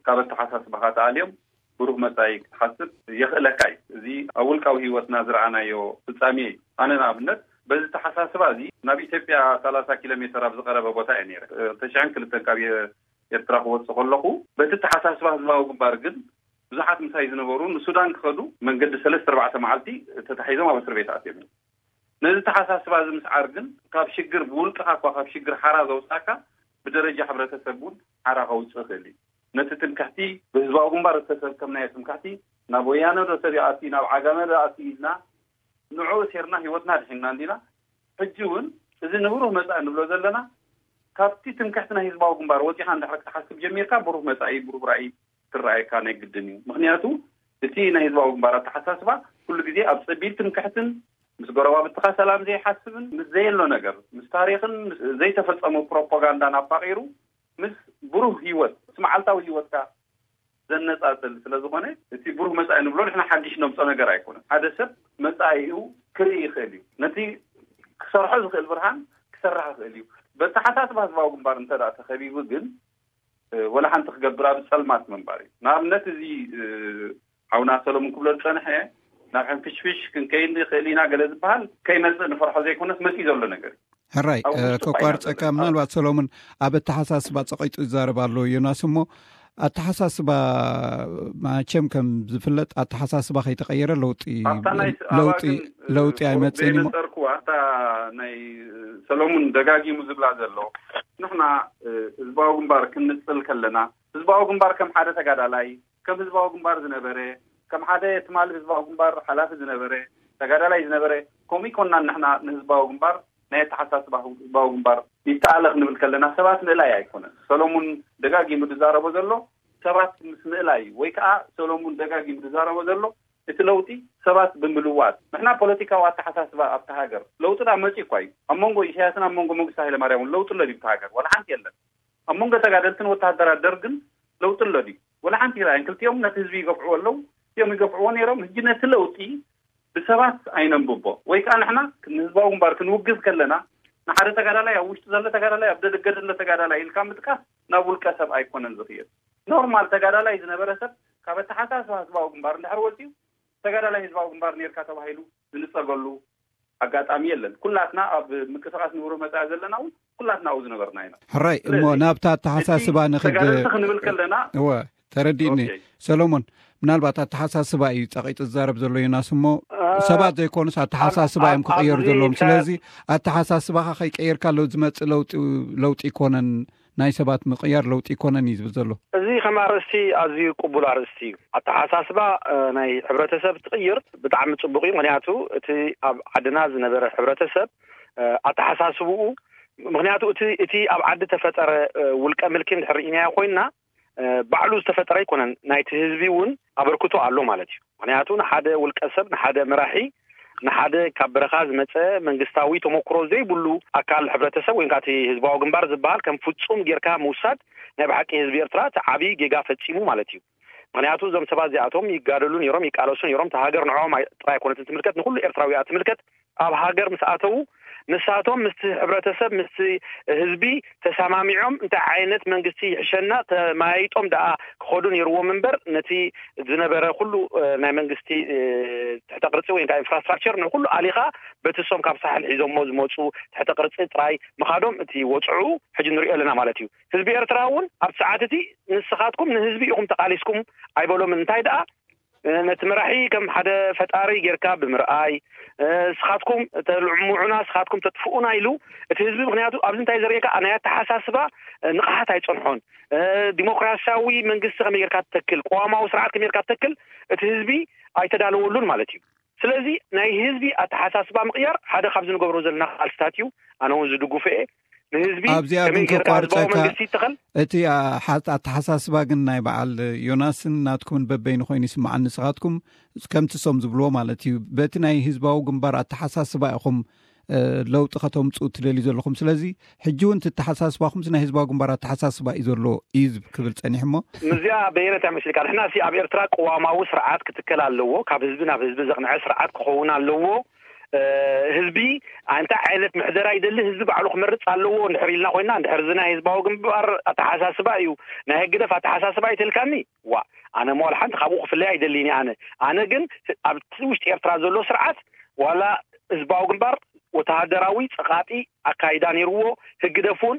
ካብ ኣተሓሳስባኻ ተኣልዮም ብሩህ መጻኢ ክትሓስብ የኽእለካ እዩ። እዚ ኣብ ውልቃዊ ህይወትና ዝረኣናዮ ፍጻሜ እዩ። ኣነ ንኣብነት በዚ ተሓሳስባ እዚ ናብ ኢትዮጵያ ሰላሳ ኪሎ ሜተር ኣብ ዝቐረበ ቦታ እየ ነይረ። ክልተ ሽሕን ክልተን ካብ ኤርትራ ክወጽእ ከለኹ በቲ ተሓሳስባ ህዝባዊ ግንባር ግን ብዙሓት ምሳይ ዝነበሩ ንሱዳን ክኸዱ መንገዲ ሰለስተ ኣርባዕተ መዓልቲ ተታሒዞም ኣብ እስር ቤት ኣትዮም እዮም። ነዚ ተሓሳስባ እዚ ምስዓር ግን ካብ ሽግር ብውልቅኻ እኳ ካብ ሽግር ሓራ ዘውጻካ ብደረጃ ሕብረተሰብ እውን ሓራ ከውጽእ ይኽእል እዩ። ነቲ ትምክሕቲ ብህዝባዊ ግንባር ዝተሰከምናዮ ትምክሕቲ ናብ ወያነ ዶ ሰብ ይኣቲ ናብ ዓጋመ ዶ ኣቲ ኢልና ንዑ እሴርና ህይወትና ድሒንና እንዲና። ሕጂ እውን እዚ ንብሩህ መጻኢ ንብሎ ዘለና ካብቲ ትምክሕቲ ናይ ህዝባዊ ግንባር ወጺኻ እንድሕር ክትሓስብ ጀሚርካ ብሩህ መጻኢ ብሩህ ራእይ ክረኣየካ ናይ ግድን እዩ። ምክንያቱ እቲ ናይ ህዝባዊ ግንባር ኣተሓሳስባ ኩሉ ግዜ ኣብ ጸቢብ ትምክሕትን ምስ ጎረባብትኻ ሰላም ዘይሓስብን ምስ ዘየሎ ነገር ምስ ታሪኽን ምስ ዘይተፈጸሙ ፕሮፓጋንዳን ኣፋቂሩ ምስ ብሩህ ህይወት ምስ መዓልታዊ ህይወትካ ዘነጻጽል ስለ ዝኾነ እቲ ብሩህ መጻኢ ንብሎ ንሕና ሓድሽ ነምጾ ነገር ኣይኮነን። ሓደ ሰብ መጻኢኡ ክርኢ ይኽእል እዩ። ነቲ ክሰርሖ ዝኽእል ብርሃን ክሰርሕ ይኽእል እዩ። በተሓሳስባ ህዝባዊ ግንባር እንተ ደኣ ተኸቢቡ ግን ወላ ሓንቲ ክገብር ኣብ ጸልማት ምንባር እዩ። ንኣብነት እዚ ሓውና ሰሎሙን ክብሎ ዝጸንሐ ናብ ሕንፍሽፍሽ ክንከይድ ንኽእል ኢና ገለ ዝበሃል ከይመጽእ ንፈርሖ ዘይኮነስ መጺኡ ዘሎ ነገር እዩ። ሕራይ፣ ከቋርጸካ። ምናልባት ሰሎሙን ኣብ ኣተሓሳስባ ጸቂጡ ይዛረብ ኣሎ ዮናስ። እሞ ኣተሓሳስባ ማቸም ከም ዝፍለጥ ኣተሓሳስባ ከይተቀየረ ለውጢ ለውጢ ለውጢ ኣይመጽእን እሞ። ጸርኩዋ እታ ናይ ሰሎሙን ደጋጊሙ ዝብላ ዘሎ ንሕና ህዝባዊ ግንባር ክንንጽል ከለና ህዝባዊ ግንባር ከም ሓደ ተጋዳላይ ከም ህዝባዊ ግንባር ዝነበረ ከም ሓደ ትማሊ ህዝባዊ ግንባር ሓላፊ ዝነበረ ተጋዳላይ ዝነበረ ከምኡ ይኮንና ንሕና ንህዝባዊ ግንባር ናይ ኣተሓሳስባ ህዝባዊ ግንባር ይተኣለ ክንብል ከለና ሰባት ምእላይ ኣይኮነን። ሰሎሙን ደጋጊሙ ዝዛረቦ ዘሎ ሰባት ምስ ምእላይ ወይ ከዓ ሰሎሙን ደጋጊሙ ዝዛረቦ ዘሎ እቲ ለውጢ ሰባት ብምልዋጥ ንሕና ፖለቲካዊ ኣተሓሳስባ ኣብቲ ሃገር ለውጢ ዳ መፂ እኳ እዩ። ኣብ መንጎ ኢሳያስን ኣብ መንጎ መንግስቲ ሃይለማርያምን ለውጢ ኣሎ ድዩ ኣብቲ ሃገር? ዋላ ሓንቲ የለን። ኣብ መንጎ ተጋደልትን ወተሃደራት ደርግን ለውጢ ኣሎ ድዩ? ወላ ሓንቲ ይረኣየን። ክልቲኦም ነቲ ህዝቢ ይገፍዕዎ ኣለዉ። እዚኦም ይገፍዕዎ ነይሮም። ህጂ ነቲ ለውጢ ብሰባት ኣይነንብቦ ወይ ከዓ ንሕና ንህዝባዊ ግንባር ክንውግዝ ከለና ንሓደ ተጋዳላይ ኣብ ውሽጢ ዘሎ ተጋዳላይ ኣብ ደገ ዘሎ ተጋዳላይ ኢልካ ምጥቃስ ናብ ውልቀ ሰብ ኣይኮነን ዝኽየድ። ኖርማል ተጋዳላይ ዝነበረ ሰብ ካብ ኣተሓሳስባ ህዝባዊ ግንባር እንድሕር ወፂኡ ተጋዳላይ ህዝባዊ ግንባር ነርካ ተባሂሉ ዝንፀገሉ ኣጋጣሚ የለን። ኩላትና ኣብ ምንቅስቃስ ንብሮ መፃኢ ዘለና እውን ኩላትና ኣብኡ ዝነበርና ኢና። ሕራይ እሞ ናብታ ኣተሓሳስባ ንክድ ተጋደልቲ ክንብል ከለና እወ ተረዲእኒ። ሰሎሞን፣ ምናልባት ኣተሓሳስባ እዩ ጸቂጡ ዝዛረብ ዘሎ ዮናስ እሞ ሰባት ዘይኮኑስ ኣተሓሳስባ እዮም ክቕየሩ ዘለዎም። ስለዚ ኣተሓሳስባኻ ከይቀየርካ ሎ ዝመጽእ ለውጢ ለውጢ ይኮነን፣ ናይ ሰባት ምቕያር ለውጢ ይኮነን እዩ ዝብል ዘሎ። እዚ ከም ኣርእስቲ ኣዝዩ ቅቡል ኣርእስቲ እዩ። ኣተሓሳስባ ናይ ሕብረተሰብ ትቕይር ብጣዕሚ ጽቡቕ እዩ። ምክንያቱ እቲ ኣብ ዓድና ዝነበረ ሕብረተሰብ ኣተሓሳስብኡ ምክንያቱ እቲ እቲ ኣብ ዓዲ ተፈጠረ ውልቀ ምልኪ እንድሕር ርኢናዮ ኮይንና ባዕሉ ዝተፈጠረ ኣይኮነን። ናይቲ ህዝቢ እውን ኣበርክቶ ኣሎ ማለት እዩ። ምክንያቱ ንሓደ ውልቀ ሰብ ንሓደ መራሒ ንሓደ ካብ በረኻ ዝመፀ መንግስታዊ ተመክሮ ዘይብሉ ኣካል ሕብረተሰብ ወይ እቲ ህዝባዊ ግንባር ዝበሃል ከም ፍፁም ጌርካ ምውሳድ ናይ ብሓቂ ህዝቢ ኤርትራ እቲ ዓብዪ ጌጋ ፈፂሙ ማለት እዩ። ምክንያቱ እዞም ሰባት እዚኣቶም ይጋደሉ ነይሮም ይቃለሱ ነይሮም። እቲ ሃገር ንዕኦም ጥራይ ኣይኮነትን ትምልከት ንኩሉ ኤርትራዊ እያ ትምልከት። ኣብ ሃገር ምስ ኣተዉ ንሳቶም ምስቲ ሕብረተሰብ ምስቲ ህዝቢ ተሰማሚዖም እንታይ ዓይነት መንግስቲ ይሕሸና ተመያይጦም ደኣ ክኸዱ ነይርዎም እምበር ነቲ ዝነበረ ኩሉ ናይ መንግስቲ ትሕተ ቅርፂ ወይ ከዓ ኢንፍራስትራክቸር ንኩሉ ኣሊኻ በቲ እሶም ካብ ሳሕል ሒዞሞ ዝመፁ ትሕተ ቅርፂ ጥራይ ምኻዶም እቲ ወፅዑ ሕጂ ንሪኦ ኣለና ማለት እዩ። ህዝቢ ኤርትራ እውን ኣብ ሰዓት እቲ ንስኻትኩም ንህዝቢ ኢኹም ተቃሊስኩም ኣይበሎምን። እንታይ ደኣ ነቲ መራሒ ከም ሓደ ፈጣሪ ጌርካ ብምርኣይ ስኻትኩም ተልዕሙዑና ስኻትኩም ተጥፍኡና ኢሉ እቲ ህዝቢ ምክንያቱ ኣብዚ እንታይ ዘርእየካ ናይ ኣተሓሳስባ ንቕሓት ኣይፀንሖን። ዲሞክራሲያዊ መንግስቲ ከመይ ጌርካ ትተክል ቅዋማዊ ስርዓት ከመይ ጌርካ ትተክል እቲ ህዝቢ ኣይተዳለወሉን ማለት እዩ። ስለዚ ናይ ህዝቢ ኣተሓሳስባ ምቕያር ሓደ ካብ ዝንገብሮ ዘለና ቃልስታት እዩ። ኣነ እውን ዝድግፎ እየ። ንህዝቢ ኣብዚኣ ግን ከቋርፀካ መንግስቲ ይተኸል። እቲ ኣተሓሳስባ ግን ናይ በዓል ዮናስን ናትኩምን በበይኑ ኮይኑ ይስምዓኒ። ንስኻትኩም ከምቲ ሶም ዝብልዎ ማለት እዩ በቲ ናይ ህዝባዊ ግንባር ኣተሓሳስባ ኢኹም ለውጢ ከተምፅኡ ትደልዩ ዘለኹም። ስለዚ ሕጂ እውን ትተሓሳስባኹምስ ናይ ህዝባዊ ግንባር ኣተሓሳስባ እዩ ዘሎ እዩ ዝብ- ክብል ፀኒሑ እሞ። ምዚኣ በየነ እንታይ መሲልካ? ንሕና ሲ ኣብ ኤርትራ ቅዋማዊ ስርዓት ክትከል ኣለዎ። ካብ ህዝቢ ናብ ህዝቢ ዘቕንዐ ስርዓት ክኸውን ኣለዎ። ህዝቢ እንታይ ዓይነት ምሕደራ ይደሊ ህዝቢ ባዕሉ ክመርፅ ኣለዎ እንድሕር ኢልና ኮይና፣ እንድሕር እዚ ናይ ህዝባዊ ግንባር ኣተሓሳስባ እዩ፣ ናይ ህግደፍ ኣተሓሳስባ ይትልካኒ፣ ዋ፣ ኣነ መዋል ሓንቲ ካብኡ ክፍለይ ኣይደልኒ። ኣነ ኣነ ግን ኣብቲ ውሽጢ ኤርትራ ዘሎ ስርዓት ዋላ ህዝባዊ ግንባር ወተሃደራዊ ፀቓጢ ኣካይዳ ነይርዎ። ህግደፍ እውን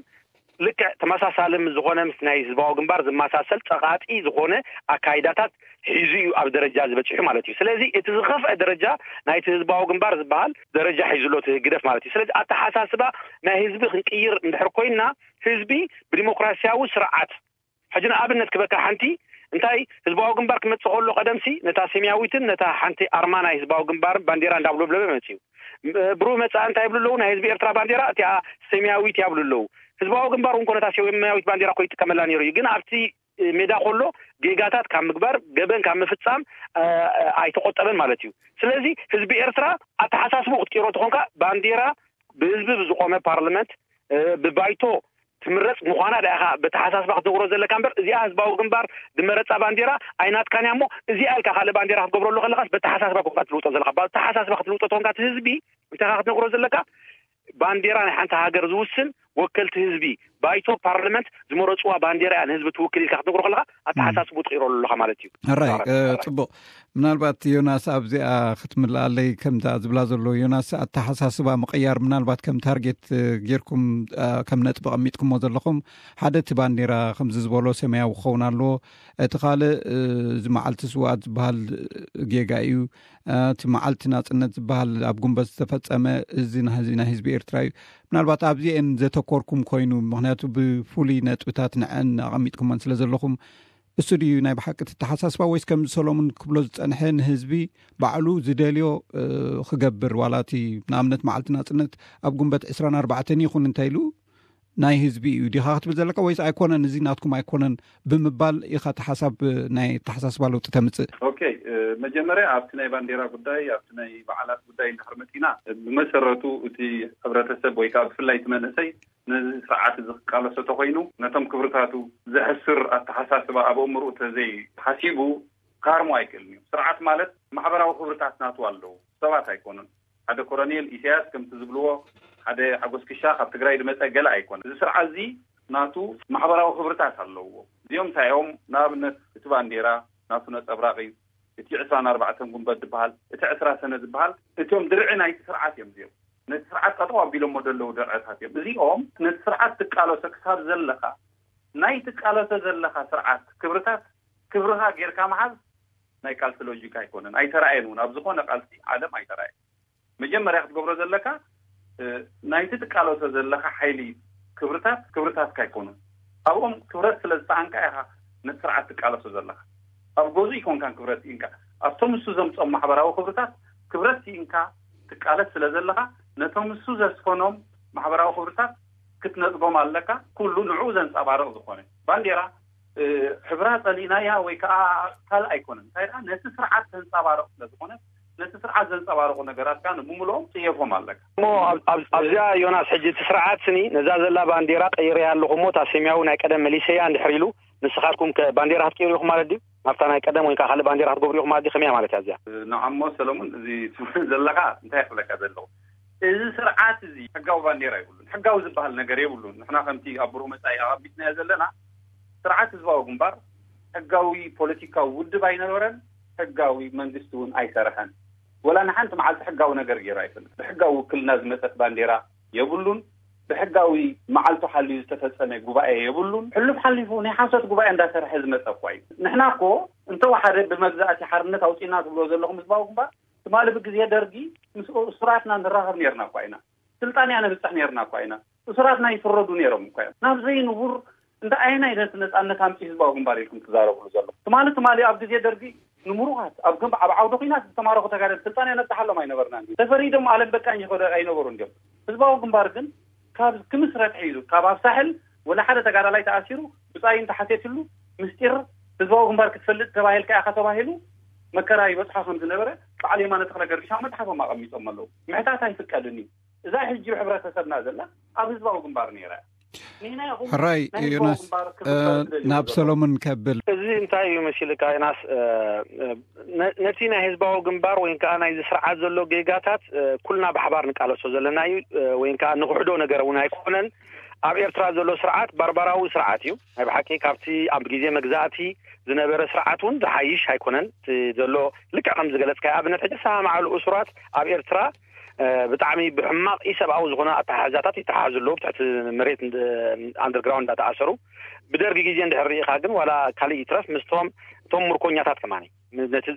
ልክዕ ተመሳሳሊ ምስ ዝኾነ ምስ ናይ ህዝባዊ ግንባር ዝመሳሰል ፀቓጢ ዝኾነ ኣካይዳታት ሒዙ እዩ ኣብ ደረጃ ዝበፅሑ ማለት እዩ። ስለዚ እቲ ዝኸፍአ ደረጃ ናይቲ ህዝባዊ ግንባር ዝበሃል ደረጃ ሒዙ ኣሎ እቲ ህግደፍ ማለት እዩ። ስለዚ ኣተሓሳስባ ናይ ህዝቢ ክንቅይር እንድሕር ኮይና ህዝቢ ብዲሞክራሲያዊ ስርዓት ሕጂ ንኣብነት ክበካ ሓንቲ እንታይ ህዝባዊ ግንባር ክመፅእ ከሎ ቀደምሲ ነታ ሰማያዊትን ነታ ሓንቲ ኣርማ ናይ ህዝባዊ ግንባርን ባንዴራ እንዳብለብለበ መፅዩ። ብሩህ መፃእ እንታይ ይብሉ ኣለዉ? ናይ ህዝቢ ኤርትራ ባንዴራ እቲኣ ሰማያዊት እያ ይብሉ ኣለዉ። ህዝባዊ ግንባር እውን ኮ ነታ ሰማያዊት ባንዴራ እኮ ይጥቀመላ ነይሩ እዩ። ግን ኣብቲ ሜዳ ከሎ ጌጋታት ካብ ምግባር ገበን ካብ ምፍፃም ኣይተቆጠበን ማለት እዩ። ስለዚ ህዝቢ ኤርትራ ኣተሓሳስቡ ክትቀይሮ ተኾንካ ባንዴራ ብህዝቢ ብዝቆመ ፓርላመንት ብባይቶ ትምረፅ ምዃና ዳኢኻ በተሓሳስባ ክትነግሮ ዘለካ እምበር እዚኣ ህዝባዊ ግንባር ዝመረፃ ባንዴራ ኣይናትካን እያ እሞ እዚኣ ኢልካ ካልእ ባንዴራ ክትገብረሉ ከለኻስ በተሓሳስባ ኮንካ ትልውጦ ዘለካ። በተሓሳስባ ክትልውጦ ተኾንካ እቲ ህዝቢ እንታይ ኢኻ ክትነግሮ ዘለካ? ባንዴራ ናይ ሓንቲ ሃገር ዝውስን ወከልቲ ህዝቢ ባይቶ ፓርላመንት ዝመረፅዋ ባንዴራ እያ ንህዝቢ ትውክል ኢልካ ክትነግሮ ከለኻ ኣተሓሳስቡ ትቕይረሉ ኣለኻ ማለት እዩ። ሕራይ። ፅቡቕ። ምናልባት ዮናስ ኣብዚኣ ክትምልኣለይ ከምታ ዝብላ ዘሎ ዮናስ ኣተሓሳስባ ምቕያር ምናልባት ከም ታርጌት ጌርኩም ከም ነጥቢ ቀሚጥኩሞ ዘለኹም ሓደ እቲ ባንዴራ ከምዚ ዝበሎ ሰማያዊ ክኸውን ኣለዎ። እቲ ካልእ እዚ መዓልቲ ስውኣት ዝበሃል ጌጋ እዩ። እቲ መዓልቲ ናፅነት ዝበሃል ኣብ ጉንበት ዝተፈፀመ እዚ ናይ ህዝቢ ኤርትራ እዩ። ምናልባት ኣብዚአን ዘተኮርኩም ኮይኑ ምክንያቱ ብፍሉይ ነጥብታት ንዐን ኣቐሚጥኩመን ስለ ዘለኹም እሱ ድዩ ናይ ብሓቂ ትተሓሳስባ ወይስ ከምዚ ሰሎሙን ክብሎ ዝፀንሐ ንህዝቢ ባዕሉ ዝደልዮ ክገብር ዋላ እቲ ንኣብነት መዓልቲ ናፅነት ኣብ ጉንበት ዕስራን ኣርባዕተን ይኹን እንታይ ኢሉ ናይ ህዝቢ እዩ ዲኻ ክትብል ዘለካ ወይስ ኣይኮነን እዚ ናትኩም ኣይኮነን ብምባል ኢኻ እቲ ሓሳብ ናይ ኣተሓሳስባ ለውጢ ተምፅእ? ኦኬ፣ መጀመርያ ኣብቲ ናይ ባንዴራ ጉዳይ ኣብቲ ናይ በዓላት ጉዳይ እንድሕር መፂና ብመሰረቱ እቲ ሕብረተሰብ ወይ ከዓ ብፍላይ እቲ መንእሰይ ነዚ ስርዓት እዚ ክቃለሶ ተኮይኑ ነቶም ክብርታቱ ዘሕስር ኣተሓሳስባ ኣብ ኣእምርኡ ተዘይ ሓሲቡ ክሃርሞ ኣይክእልን እዩ። ስርዓት ማለት ማሕበራዊ ክብርታት ናቱ ኣለዎ፣ ሰባት ኣይኮኑን። ሓደ ኮሎኔል ኢሳያስ ከምቲ ዝብልዎ ሓደ ሓጎስ ክሻ ካብ ትግራይ ዝመፀ ገለ ኣይኮነን። እዚ ስርዓት እዚ ናቱ ማሕበራዊ ክብርታት ኣለዎ። እዚኦም እንታይ እዮም? ንኣብነት እቲ ባንዴራ ናቱ ነፀብራቕ እዩ። እቲ ዕስራን ኣርባዕተን ጉንበት ዝበሃል እቲ ዕስራ ሰነ ዝበሃል እቶም ድርዒ ናይቲ ስርዓት እዮም። እዚኦም ነቲ ስርዓት ጠጠው ኣቢሎሞ ዘለዉ ድርዕታት እዮም። እዚኦም ነቲ ስርዓት ትቃለሶ ክሳብ ዘለኻ ናይ ትቃለሶ ዘለኻ ስርዓት ክብርታት ክብርኻ ጌርካ ምሓዝ ናይ ቃልሲ ሎጂክ ኣይኮነን። ኣይተራእየን እውን ኣብ ዝኾነ ቃልሲ ዓለም ኣይተራእየን። መጀመርያ ክትገብሮ ዘለካ ናይቲ ትቃለሶ ዘለካ ሓይሊ ክብርታት ክብርታትካ ኣይኮኑን። ኣብኦም ክብረት ስለ ዝሰኣንካ ኢኻ ነቲ ስርዓት ትቃለሶ ዘለካ። ኣብ ገዙ ይኮንካን ክብረት ኢንካ ኣብቶም ንሱ ዘምፆም ማሕበራዊ ክብርታት ክብረት ኢንካ ትቃለስ ስለ ዘለካ ነቶም ንሱ ዘስፈኖም ማሕበራዊ ክብርታት ክትነፅጎም ኣለካ። ኩሉ ንዕኡ ዘንፀባርቕ ዝኾነ ባንዴራ ሕብራ ፀሊእናያ ወይ ከዓ ካልእ ኣይኮነን። እንታይ ደኣ ነቲ ስርዓት ዘንፀባርቕ ስለ ዝኾነ ነቲ ስርዓት ዘንፀባርቑ ነገራት ከዓ ንብምልኦም ፅየፎም ኣለካ። እሞ ኣብዚኣ ዮናስ ሕጂ እቲ ስርዓት ስኒ ነዛ ዘላ ባንዴራ ቀይረያ ኣለኹ እሞ እታ ሰማያዊ ናይ ቀደም መሊሰያ እንድሕር ኢሉ ንስኻትኩም ከ ባንዴራ ክትቀይሩ ኢኹም ማለት ድዩ? ናብታ ናይ ቀደም ወይ ከዓ ካልእ ባንዴራ ክትገብሩ ኢኹም ማለት ድዩ? ከመይ እያ ማለት እያ እዚኣ? ንዓሞ ሰለሙን እዚ ትብል ዘለኻ እንታይ ክብለካ ዘለኹ እዚ ስርዓት እዚ ሕጋዊ ባንዴራ የብሉን። ሕጋዊ ዝበሃል ነገር የብሉን። ንሕና ከምቲ ኣብ ብሩህ መፃኢ ኣቐሚጥናዮ ዘለና ስርዓት ህዝባዊ ግንባር ሕጋዊ ፖለቲካዊ ውድብ ኣይነበረን፣ ሕጋዊ መንግስቲ እውን ኣይሰርሐን። ወላ ንሓንቲ መዓልቲ ሕጋዊ ነገር ገይሩ ኣይፈልጥ። ብሕጋዊ ውክልና ዝመፀት ባንዴራ የብሉን። ብሕጋዊ መዓልቱ ሓልዩ ዝተፈፀመ ጉባኤ የብሉን። ሕሉፍ ሓሊፉ ናይ ሓሶት ጉባኤ እንዳሰርሐ ዝመፀ እኳ እዩ። ንሕና እኮ እንተወሓደ ብመግዛእቲ ሓርነት ኣውፂና ትብሎ ዘለኹም ህዝባዊ ግንባር ትማሊ ብግዜ ደርጊ ምስ እሱራትና ንራኸብ ነርና እኳ ኢና። ስልጣን እያ ነብፅሕ ነርና እኳ ኢና። እሱራትና ይፍረዱ ነይሮም እኳ እዮም። ናብ ዘይንቡር እንተ ኣየናይ ነቲ ነፃነት ኣምፂ ህዝባዊ ግንባር ኢልኩም ትዛረብሉ ዘሎ? ትማሊ ትማሊ ኣብ ግዜ ደርጊ ንምሩኻት ኣብ ግንብ ኣብ ዓውደ ኩናት ዝተማረኹ ተጋደል ስልጣን እያ ነብፅሓሎም ኣይነበርና። ተፈሪዶም ኣለም በቃኝ ይኸዱ ኣይነበሩ እንዲም። ህዝባዊ ግንባር ግን ካብ ክምስረት ሒዙ ካብ ኣብ ሳሕል ወላ ሓደ ተጋዳላይ ተኣሲሩ ብፃይ እንተሓቴትሉ ምስጢር ህዝባዊ ግንባር ክትፈልጥ ተባሂልካ ኢኻ ተባሂሉ መከራ ይበፅሖ ከም ዝነበረ ባዕሉ የማነ ተኽለ ገርግሽ ኣብ መፅሓፎም ኣቐሚጦም ኣለዉ። ምሕታት ኣይፍቀድን እዩ። እዛ ሕጂ ሕብረተሰብና ዘላ ኣብ ህዝባዊ ግንባር ነይራ። ሕራይ ዮናስ፣ ናብ ሰሎሞን ከብል። እዚ እንታይ እዩ መሲልካ ዮናስ? ነቲ ናይ ህዝባዊ ግንባር ወይ ከዓ ናይዚ ስርዓት ዘሎ ጌጋታት ኩልና ብሓባር ንቃለሶ ዘለና እዩ። ወይ ከዓ ንክሕዶ ነገር እውን ኣይኮነን። ኣብ ኤርትራ ዘሎ ስርዓት ባርባራዊ ስርዓት እዩ። ናይ ብሓቂ ካብቲ ኣብ ግዜ መግዛእቲ ዝነበረ ስርዓት እውን ዝሓይሽ ኣይኮነን። ዘሎ ልክዕ ከም ዝገለፅካ ኣብነት ሕጂ ሰማማዕሉ እሱራት ኣብ ኤርትራ ብጣዕሚ ብሕማቕ ኢሰብኣዊ ዝኾነ ኣተሓሕዛታት ይተሓሓዙ ኣለዉ። ብትሕቲ መሬት ኣንደርግራውንድ እንዳተኣሰሩ ብደርጊ ግዜ እንድሕር ርኢኻ ግን ዋላ ካልእ ይትረፍ ምስቶም እቶም ምርኮኛታት ከማኒ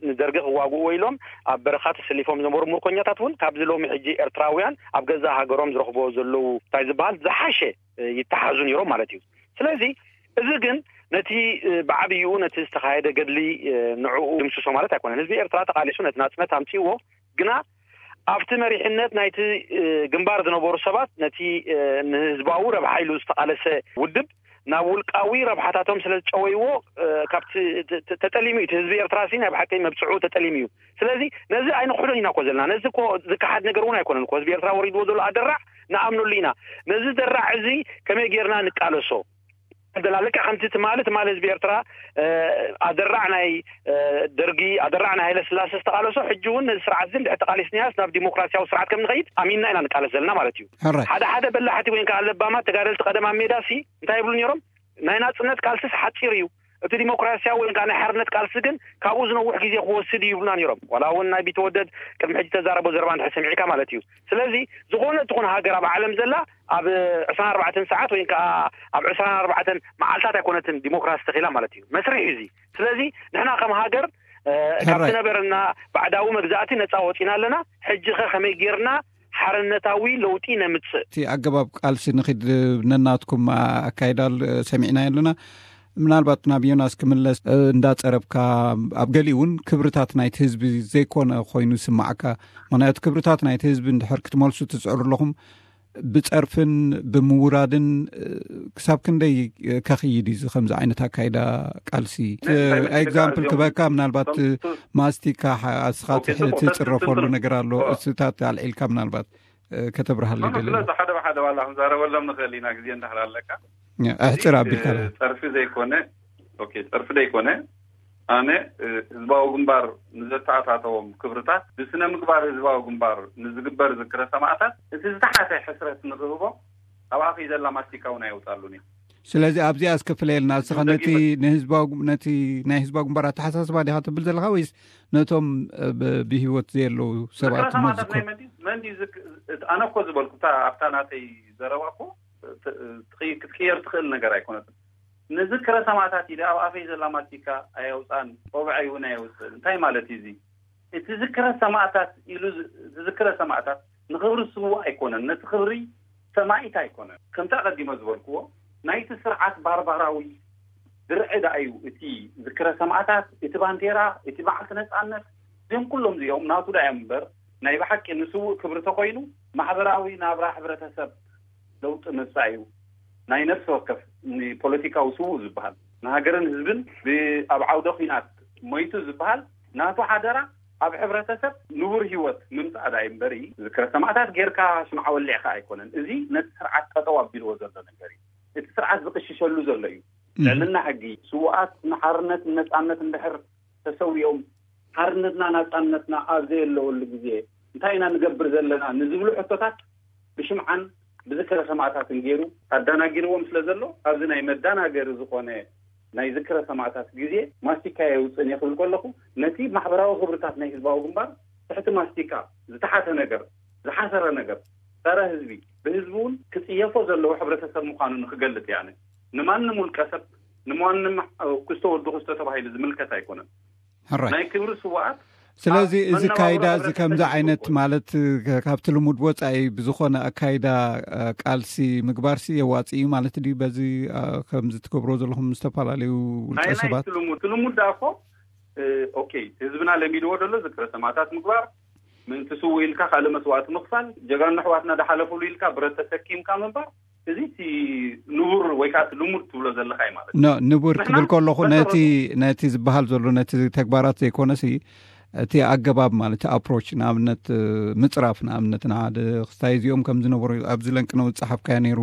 ንደርጊ ክዋግኡ ወይሎም ኣብ በረኻ ተሰሊፎም ዝነበሩ ምርኮኛታት እውን ካብዚ ሎሚ ሕጂ ኤርትራውያን ኣብ ገዛእ ሃገሮም ዝረኽቦ ዘለዉ እንታይ ዝበሃል ዝሓሸ ይተሓዙ ነይሮም ማለት እዩ። ስለዚ እዚ ግን ነቲ ብዓብይኡ ነቲ ዝተኻየደ ገድሊ ንዕኡ ድምስሶ ማለት ኣይኮነን። ህዝቢ ኤርትራ ተቓሊሱ ነቲ ናጽነት ኣምፅዎ ግና ኣብቲ መሪሕነት ናይቲ ግንባር ዝነበሩ ሰባት ነቲ ንህዝባዊ ረብሓ ኢሉ ዝተቓለሰ ውድብ ናብ ውልቃዊ ረብሓታቶም ስለ ዝጨወይዎ ካብቲ ተጠሊሙ እዩ። እቲ ህዝቢ ኤርትራ ሲ ናይ ብሓቂ መብፅዑ ተጠሊሙ እዩ። ስለዚ ነዚ ኣይንክሕዶን ኢና እኮ ዘለና። ነዚ እኮ ዝከሓድ ነገር እውን ኣይኮነን እኮ። ህዝቢ ኤርትራ ወሪድዎ ዘሎ ኣደራዕ ንኣምነሉ ኢና። ነዚ ደራዕ እዚ ከመይ ጌርና ንቃለሶ ዘላ ልክዕ ከምቲ ትማሊ ትማሊ ህዝቢ ኤርትራ ኣደራዕ ናይ ደርጊ ኣደራዕ ናይ ሃይለ ስላሴ ዝተቃለሶ ሕጂ እውን ነዚ ስርዓት እዚ እንድሕር ተቃሊስናያስ ናብ ዲሞክራሲያዊ ስርዓት ከም ንኸይድ ኣሚንና ኢና ንቃለስ ዘለና ማለት እዩ። ሕራይ ሓደ ሓደ በላሕቲ ወይ ከዓ ለባማት ተጋደልቲ ቀደም ኣብ ሜዳ ሲ እንታይ ይብሉ ነይሮም? ናይ ናጽነት ቃልስስ ሓጺር እዩ፣ እቲ ዲሞክራሲያዊ ወይ ከዓ ናይ ሓርነት ቃልሲ ግን ካብኡ ዝነውሕ ግዜ ክወስድ እዩ ይብሉና ነይሮም። ዋላ እውን ናይ ቢተወደድ ቅድሚ ሕጂ ተዛረቦ ዘረባ እንድሕር ሰሚዕካ ማለት እዩ። ስለዚ ዝኾነ ትኹን ሃገር ኣብ ዓለም ዘላ ኣብ ዕስራን ኣርባዕተን ሰዓት ወይ ከዓ ኣብ ዕስራን ኣርባዕተን መዓልታት ኣይኮነትን ዲሞክራሲ ተኺላ ማለት እዩ። መስርሕ እዩ እዚ። ስለዚ ንሕና ከም ሃገር ካብቲ ነበረና ባዕዳዊ መግዛእቲ ነፃ ወፂና ኣለና። ሕጂ ኸ ከመይ ጌርና ሓርነታዊ ለውጢ ነምፅእ? እቲ ኣገባብ ቃልሲ ንኺድ ነናትኩም ኣካይዳ ሰሚዕናዮ ኣለና። ምናልባት ናብ ዮናስ ክምለስ እንዳፀረብካ ኣብ ገሊኡ እውን ክብርታት ናይቲ ህዝቢ ዘይኮነ ኮይኑ ይስማዓካ። ምክንያቱ ክብርታት ናይቲ ህዝቢ እንድሕር ክትመልሱ ትፅዕሩ ኣለኹም ብፀርፍን ብምውራድን ክሳብ ክንደይ ከኽይድ እዩ ከምዚ ዓይነት ኣካይዳ ቃልሲ? ኤግዛምፕል ክበካ ምናልባት ማስቲካ ኣስኻ ትፅረፈሉ ነገር ኣሎ። እስታት ኣልዒልካ ምናልባት ከተብርሃሉ ይደሊ። ስለዚ ሓደ ብሓደ ዋላ ክንዛረበሎም ንኽእል ኢና ግዜ እንዳሕር ኣለካ። ኣሕፅር ኣቢልካ ጸርፊ ዘይኮነ ኦኬ፣ ጸርፊ ዘይኮነ ኣነ ህዝባዊ ግንባር ንዘተኣታተዎም ክብርታት ብስነ ምግባር ህዝባዊ ግንባር ንዝግበር ዝክረ ሰማእታት እቲ ዝተሓተ ሕስረት ንኽህቦ ኣብኣ ዘላ ማስቲካ እውን ኣይወፃሉን እዩ። ስለዚ ኣብዚኣ እስከ ፍለየልና እስኻ ነቲ ንህዝባዊ ነቲ ናይ ህዝባዊ ግንባር ኣተሓሳስባ ዲኻ ትብል ዘለኻ ወይስ ነቶም ብህይወት ዘየለዉ ሰባት ዝክረ ሰማእታት ናይ መን ድዩ? መን ድዩ ዝክ- ኣነ እኮ ዝበልኩ ኣብታ ናተይ ዘረባ እኮ ክትቅየር ትኽእል ነገር ኣይኮነትን። ንዝክረ ሰማእታት ኢለ ኣብ ኣፈይ ዘላ ማስቲካ ኣየውፃን ቆብዐይ እውን ኣየውፅእን እንታይ ማለት እዩ እዚ? እቲ ዝክረ ሰማእታት ኢሉ ዝክረ ሰማእታት ንኽብሪ ስውእ ኣይኮነን፣ ነቲ ክብሪ ሰማኢት ኣይኮነን። ከምቲ ኣቐዲመ ዝበልክዎ ናይቲ ስርዓት ባርባራዊ ድርዒ ደኣ እዩ እቲ ዝክረ ሰማእታት፣ እቲ ባንዴራ፣ እቲ በዓልቲ ነፃነት፣ እዚኦም ኩሎም እዚኦም ናቱ ደኣ እዮም እምበር ናይ ብሓቂ ንስውእ ክብሪ ተኮይኑ ማሕበራዊ ናብራ ሕብረተሰብ ለውጢ ምምፃእ እዩ። ናይ ነፍሲ ወከፍ ንፖለቲካዊ ስውእ ዝበሃል ንሃገርን ህዝብን ኣብ ዓውደ ኲናት ሞይቱ ዝበሃል ናቱ ሓደራ ኣብ ሕብረተሰብ ንቡር ህይወት ምምፃእ ዳይ እምበሪ ዝክረ ሰማእታት ጌርካ ሽምዓ ወሊዕካ ኣይኮነን። እዚ ነቲ ስርዓት ጠጠው ኣቢልዎ ዘሎ ነገር እዩ። እቲ ስርዓት ዝቕሽሸሉ ዘሎ እዩ። ልዕልና ሕጊ ስውኣት ንሓርነት ንነፃነት እንድሕር ተሰዊኦም ሓርነትና ናፃነትና ኣብ ዘየለወሉ ግዜ እንታይ ኢና ንገብር ዘለና ንዝብሉ ሕቶታት ብሽምዓን ብዝክረ ሰማእታትን ገይሩ ኣዳናጊርዎም ስለ ዘሎ ኣብዚ ናይ መዳናገሪ ዝኾነ ናይ ዝክረ ሰማእታት ግዜ ማስቲካ የውፅእን እየ ክብል ከለኹ ነቲ ማሕበራዊ ክብርታት ናይ ህዝባዊ ግንባር ትሕቲ ማስቲካ ዝተሓተ ነገር ዝሓሰረ ነገር ጸረ ህዝቢ ብህዝቢ እውን ክፅየፎ ዘለዎ ሕብረተሰብ ምዃኑ ንክገልፅ እየ። ኣነ ንማንም ውልቀ ሰብ ንማንም ክስተ ወዲ ክስተ ተባሂሉ ዝምልከት ኣይኮነን። ሕራይ ናይ ክብሪ ስውኣት ስለዚ ኣብ እዚ መነባብሮ ካይዳ እዚ ከምዚ ሕብረተሰብ ዓይነት ዝኸውን። ማለት እ፣ ከ- ካብቲ ልሙድ ወፃኢ ብዝኾነ ኣካይዳ እ፣ ቃልሲ ምግባርሲ የዋፅእ እዩ ማለት ድዩ? በዚ እ፣ ከምዚ ትገብሮ ዘለኹም ዝተፈላለዩ ውልቀ ናይ ናይ ሰባት ትልሙድ ትልሙድ ደኣ እኮ እ፣ ኦኬ ህዝብና ለሚድዎ ዘሎ ዝክረ ሰማእታት ምግባር ምእንቲ ስውእ ኢልካ ካልእ መስዋእቲ ምኽፋል ጀጋኑ ኣሕዋትና ዝሓለፉሉ ኢልካ ብረት ተሰኪምካ ምንባር እዚ እቲ ንቡር ወይ ከዓ እቲ ልሙድ ትብሎ ዘለካ እዩ ማለት እዩ። ኖ ንቡር ንሕና ክብል ከለኹ ነቲ መሰረቱ ነቲ ዝበሃል ዘሎ ነቲ ተግባራት ዘይኮነሲ እቲ ኣገባብ ማለት ኣፕሮች ንኣብነት ምፅራፍ ንኣብነት ንሓደ ክስታይ እዚኦም ከም ዝነበሩ ኣብዚ ለንቅነው ዝፀሓፍካዮ ነይሩ።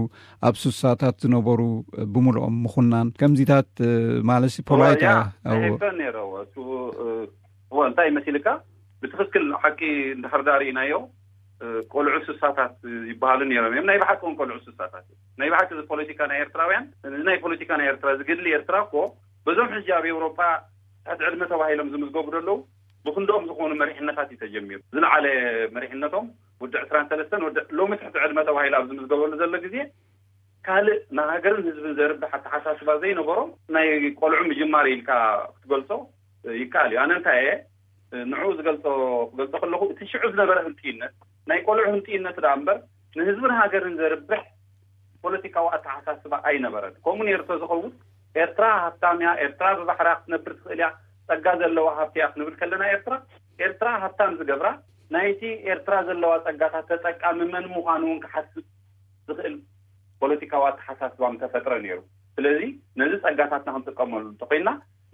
ኣብ ሱሳታት ዝነበሩ ብምልኦም ምኹናን ከምዚታት ማለት ፖላይታ ያ ሕቶ ነይረዎ እሱ እዎ እንታይ መሲልካ ብትክክል ሓቂ እንድሕር ዳር ኢናዮ ቆልዑ ስሳታት ይበሃሉ ነይሮም እዮም። ናይ ብሓቂ እውን ቆልዑ ስሳታት እዮም። ናይ ብሓቂ እዚ ፖለቲካ ናይ ኤርትራውያን እዚ ናይ ፖለቲካ ናይ ኤርትራ ዝግድሊ ኤርትራ እኮ በዞም ሕጂ ኣብ ኤውሮጳ ትሕቲ ዕድመ ተባሂሎም ዝምዝገቡ ዘለዉ ብክንዶም ዝኾኑ መሪሕነታት እዩ ተጀሚሩ። ዝለዓለ መሪሕነቶም ወዲ ዕስራን ሰለስተን ወዲ ሎሚ ትሕቲ ዕድመ ተባሂሉ ኣብ ዝምዝገበሉ ዘሎ ግዜ ካልእ ንሃገርን ህዝብን ዘርብሕ ኣተሓሳስባ ዘይነበሮም ናይ ቆልዑ ምጅማር ኢልካ ክትገልጾ ይከኣል እዩ። ኣነ እንታይ እየ ንዕኡ ዝገልጾ ክገልጾ ከለኹ እቲ ሽዑ ዝነበረ ህንጥይነት ናይ ቆልዑ ህንጥይነት ደኣ እምበር ንህዝብን ሃገርን ዘርብሕ ፖለቲካዊ ኣተሓሳስባ ኣይነበረን። ከምኡ ነይሩ ተዝኸውን ኤርትራ ሃብታም እያ፣ ኤርትራ ብባሕራ ክትነብር ትኽእል እያ፣ ጸጋ ዘለዋ ሃብቲ እያ ክንብል ከለና ኤርትራ ኤርትራ ሃብታም ዝገብራ ናይቲ ኤርትራ ዘለዋ ጸጋታት ተጠቃሚ መን ምዃኑ እውን ክሓስብ ዝኽእል ፖለቲካዊ ኣተሓሳስባ ምተፈጥረ ነይሩ። ስለዚ ነዚ ጸጋታትና ክንጥቀመሉ እንተኮይና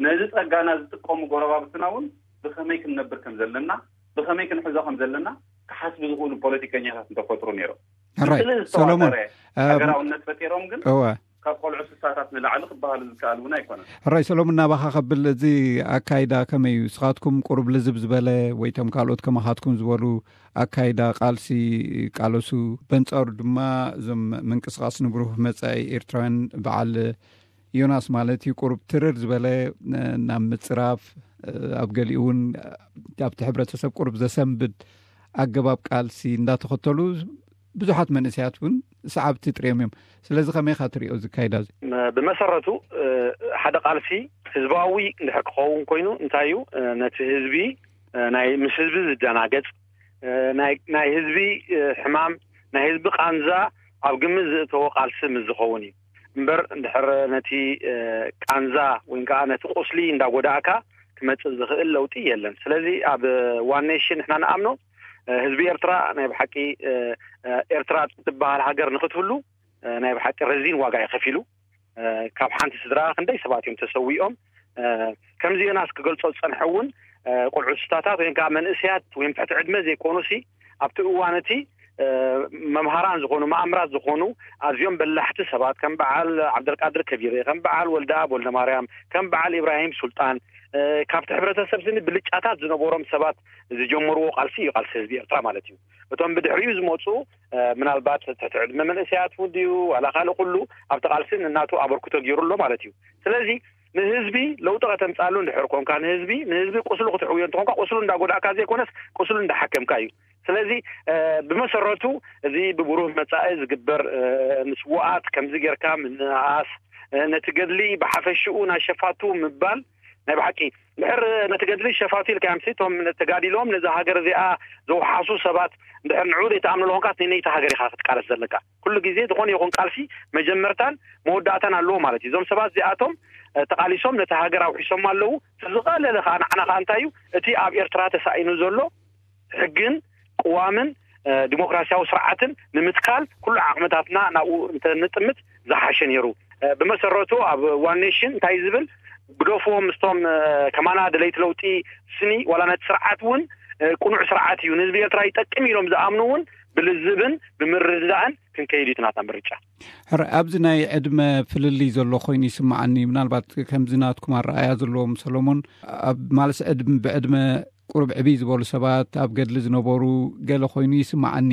ነዚ ጸጋና ዝጥቀሙ ጎረባብትና እውን ብኸመይ ክንነብር ከም ዘለና ብኸመይ ክንሕዞ ከም ዘለና ክሓስቡ ዝኽእሉ ፖለቲከኛታት እንተፈጥሩ ነይሮም። ሕራይ ምስሊ ሰሎሞን ዝተዋጠረ ሃገራውነት ፈጢሮም ግን እወ ካብ ቆልዑ ስሳታት ንላዕሊ ክበሃሉ ዝከኣል እውን ኣይኮነን። ሕራይ ሰሎሞን ናባኻ ከብል እዚ ኣካይዳ ከመይ እዩ? ንስኻትኩም ቁሩብ ልዝብ ዝበለ ወይ ቶም ካልኦት ከማኻትኩም ዝበሉ ኣካይዳ ቃልሲ ቃለሱ በንጻሩ ድማ እዞም ምንቅስቃስ ንብሩህ መጻኢ ኤርትራውያን በዓል ዮናስ ማለት እዩ ቁሩብ ትርር ዝበለ ናብ ምጽራፍ ኣብ ገሊኡ እውን ኣብቲ ሕብረተሰብ ቁሩብ ዘሰንብድ ኣገባብ ቃልሲ እንዳተኸተሉ ብዙሓት መንእሰያት እውን ሰዓብቲ ጥርዮም እዮም። ስለዚ ከመይ ኢኻ ትሪኦ እዚ ኣካይዳ እዚ? ብመሰረቱ ሓደ ቃልሲ ህዝባዊ እንድሕር ክኸውን ኮይኑ እንታይ እዩ ነቲ ህዝቢ ናይ ምስ ህዝቢ ዝደናገጽ ናይ ህዝቢ ሕማም ናይ ህዝቢ ቃንዛ ኣብ ግምት ዝእተወ ቃልሲ ምስ ዝኸውን እዩ እምበር እንድሕር ነቲ ቃንዛ ወይ ከዓ ነቲ ቁስሊ እንዳጎዳእካ ክመፅእ ዝኽእል ለውጢ የለን። ስለዚ ኣብ ዋን ኔሽን ንሕና ንኣምኖ ህዝቢ ኤርትራ ናይ ብሓቂ ኤርትራ ትበሃል ሃገር ንክትህሉ ናይ ብሓቂ ረዚን ዋጋ እዩ ከፊሉ። ካብ ሓንቲ ስድራ ክንደይ ሰባት እዮም ተሰዊኦም። ከምዚ ዮናስ ክገልጾ ዝጸንሐ እውን ቆልዑ ስታታት ወይም ከዓ መንእሰያት ወይም ትሕቲ ዕድመ ዘይኮኑሲ ኣብቲ እዋን እቲ መምሃራን ዝኾኑ መኣምራት ዝኾኑ ኣዝዮም በላሕቲ ሰባት ከም በዓል ዓብደልቃድር ከቢረ ከም በዓል ወልደኣብ ወልደማርያም ከም በዓል ኢብራሂም ሱልጣን ካብቲ ሕብረተሰብ ስኒ ብልጫታት ዝነበሮም ሰባት ዝጀመርዎ ቃልሲ እዩ ቃልሲ ህዝቢ ኤርትራ ማለት እዩ። እቶም ብድሕሪኡ ዝመፁ ምናልባት ትሕቲ ዕድመ መንእሰያት እውን ድዩ ዋላ ካልእ ኩሉ ኣብቲ ቃልሲ ንናቱ ኣበርክቶ ገይሩ ኣሎ ማለት እዩ። ስለዚ ንህዝቢ ለውጢ ከተምፃሉ እንድሕር ኮንካ ንህዝቢ ንህዝቢ ቁስሉ ክትሕውዮ እንተኾንካ ቁስሉ እንዳጎዳእካ ዘይኮነስ ቁስሉ እንዳሓከምካ እዩ። ስለዚ ብመሰረቱ እዚ ብብሩህ መፃኢ ዝግበር ንስዋኣት ከምዚ ጌርካ ምንኣስ ነቲ ገድሊ ብሓፈሽኡ ናይ ሸፋቱ ምባል ናይ ብሓቂ ድሕር ነቲ ገድሊ ሸፋቱ ኢልካ ምሲ እቶም ተጋዲሎም ነዚ ሃገር እዚኣ ዘውሓሱ ሰባት እንድሕር ንዑ ዘይተኣምኑ ለኾንካ ነይቲ ሃገር ኢኻ ክትቃለስ ዘለካ። ኩሉ ግዜ ዝኾነ ይኹን ቃልሲ መጀመርታን መወዳእታን ኣለዎ ማለት እዩ። እዞም ሰባት እዚኣቶም ተቃሊሶም ነቲ ሃገር ኣውሒሶም ኣለዉ። ዝቐለለ ከዓ ንዓና ከዓ እንታይ እዩ እቲ ኣብ ኤርትራ ተሳኢኑ ዘሎ ሕግን ቅዋምን ዲሞክራሲያዊ ስርዓትን ንምትካል ኩሉ ዓቕምታትና ናብኡ እንተንጥምት ዝሓሸ ነይሩ። ብመሰረቱ ኣብ ዋን ኔሽን እንታይ ዝብል ግደፍዎም ምስቶም ከማና ደለይቲ ለውጢ ስኒ ዋላ ነቲ ስርዓት እውን ቅኑዕ ስርዓት እዩ ንህዝቢ ኤርትራ ይጠቅም ኢሎም ዝኣምኑ እውን ብልዝብን ብምርድዳእን ክንከይድ እዩ ናትና ምርጫ። ሕረ ኣብዚ ናይ ዕድመ ፍልልይ ዘሎ ኮይኑ ይስምዓኒ። ምናልባት ከምዚ ናትኩም ኣረኣያ ዘለዎም ሰሎሞን ኣብ ማለስ ዕድም ብዕድመ ቁሩብ ዕብይ ዝበሉ ሰባት ኣብ ገድሊ ዝነበሩ ገለ ኮይኑ ይስምዓኒ።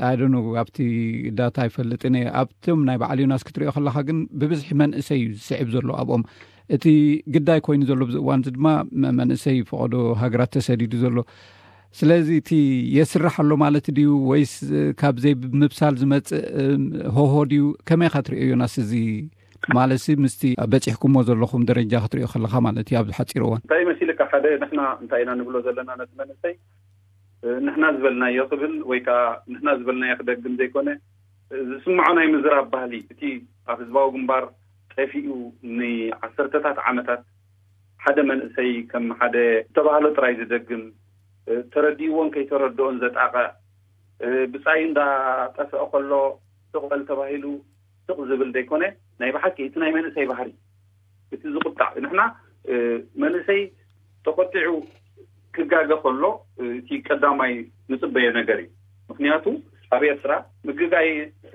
ኣይደኑ ኣብቲ ዳታ ኣይፈልጥን እየ። ኣብቶም ናይ በዓል ዮናስ ክትሪኦ ከለካ ግን ብብዝሒ መንእሰይ እዩ ዝስዕብ ዘሎ ኣብኦም። እቲ ግዳይ ኮይኑ ዘሎ ብዚ እዋን እዚ ድማ መንእሰይ ፈቐዶ ሃገራት ተሰዲዱ ዘሎ። ስለዚ እቲ የስራሕ ኣሎ ማለት ድዩ ወይስ ካብ ዘይምብሳል ዝመፅእ ሆሆ ድዩ? ከመይ ኢካ ትሪኦ ዮናስ? እዚ ማለት ምስቲ በፂሕኩሞ ዘለኹም ደረጃ ክትሪኦ ከለካ ማለት እዩ ኣብዚ ሓፂር እዋን። እንታይ መሲልካ ሓደ ንሕና እንታይ ኢና ንብሎ ዘለና ነቲ መንእሰይ ንሕና ዝበልናዮ ክብል ወይ ከዓ ንሕና ዝበልናዮ ክደግም ዘይኮነ ዝስምዖ ናይ ምዝራብ ባህሊ እቲ ኣብ ህዝባዊ ግንባር ጠፊኡ ንዓሰርተታት ዓመታት ሓደ መንእሰይ ከም ሓደ ዝተባህሎ ጥራይ ዝደግም ተረዲእዎን ከይተረድኦን ዘጣቕዕ ብፃይ እንዳጠፍአ ከሎ ስቕ በል ተባሂሉ ስቕ ዝብል ዘይኮነ ናይ ብሓቂ እቲ ናይ መንእሰይ ባህሪ እቲ ዝቁጣዕ ንሕና መንእሰይ ተቆጢዑ ክጋገ ከሎ እቲ ቀዳማይ ንጽበዮ ነገር እዩ። ምክንያቱ ኣብ ኤርትራ ምግጋይ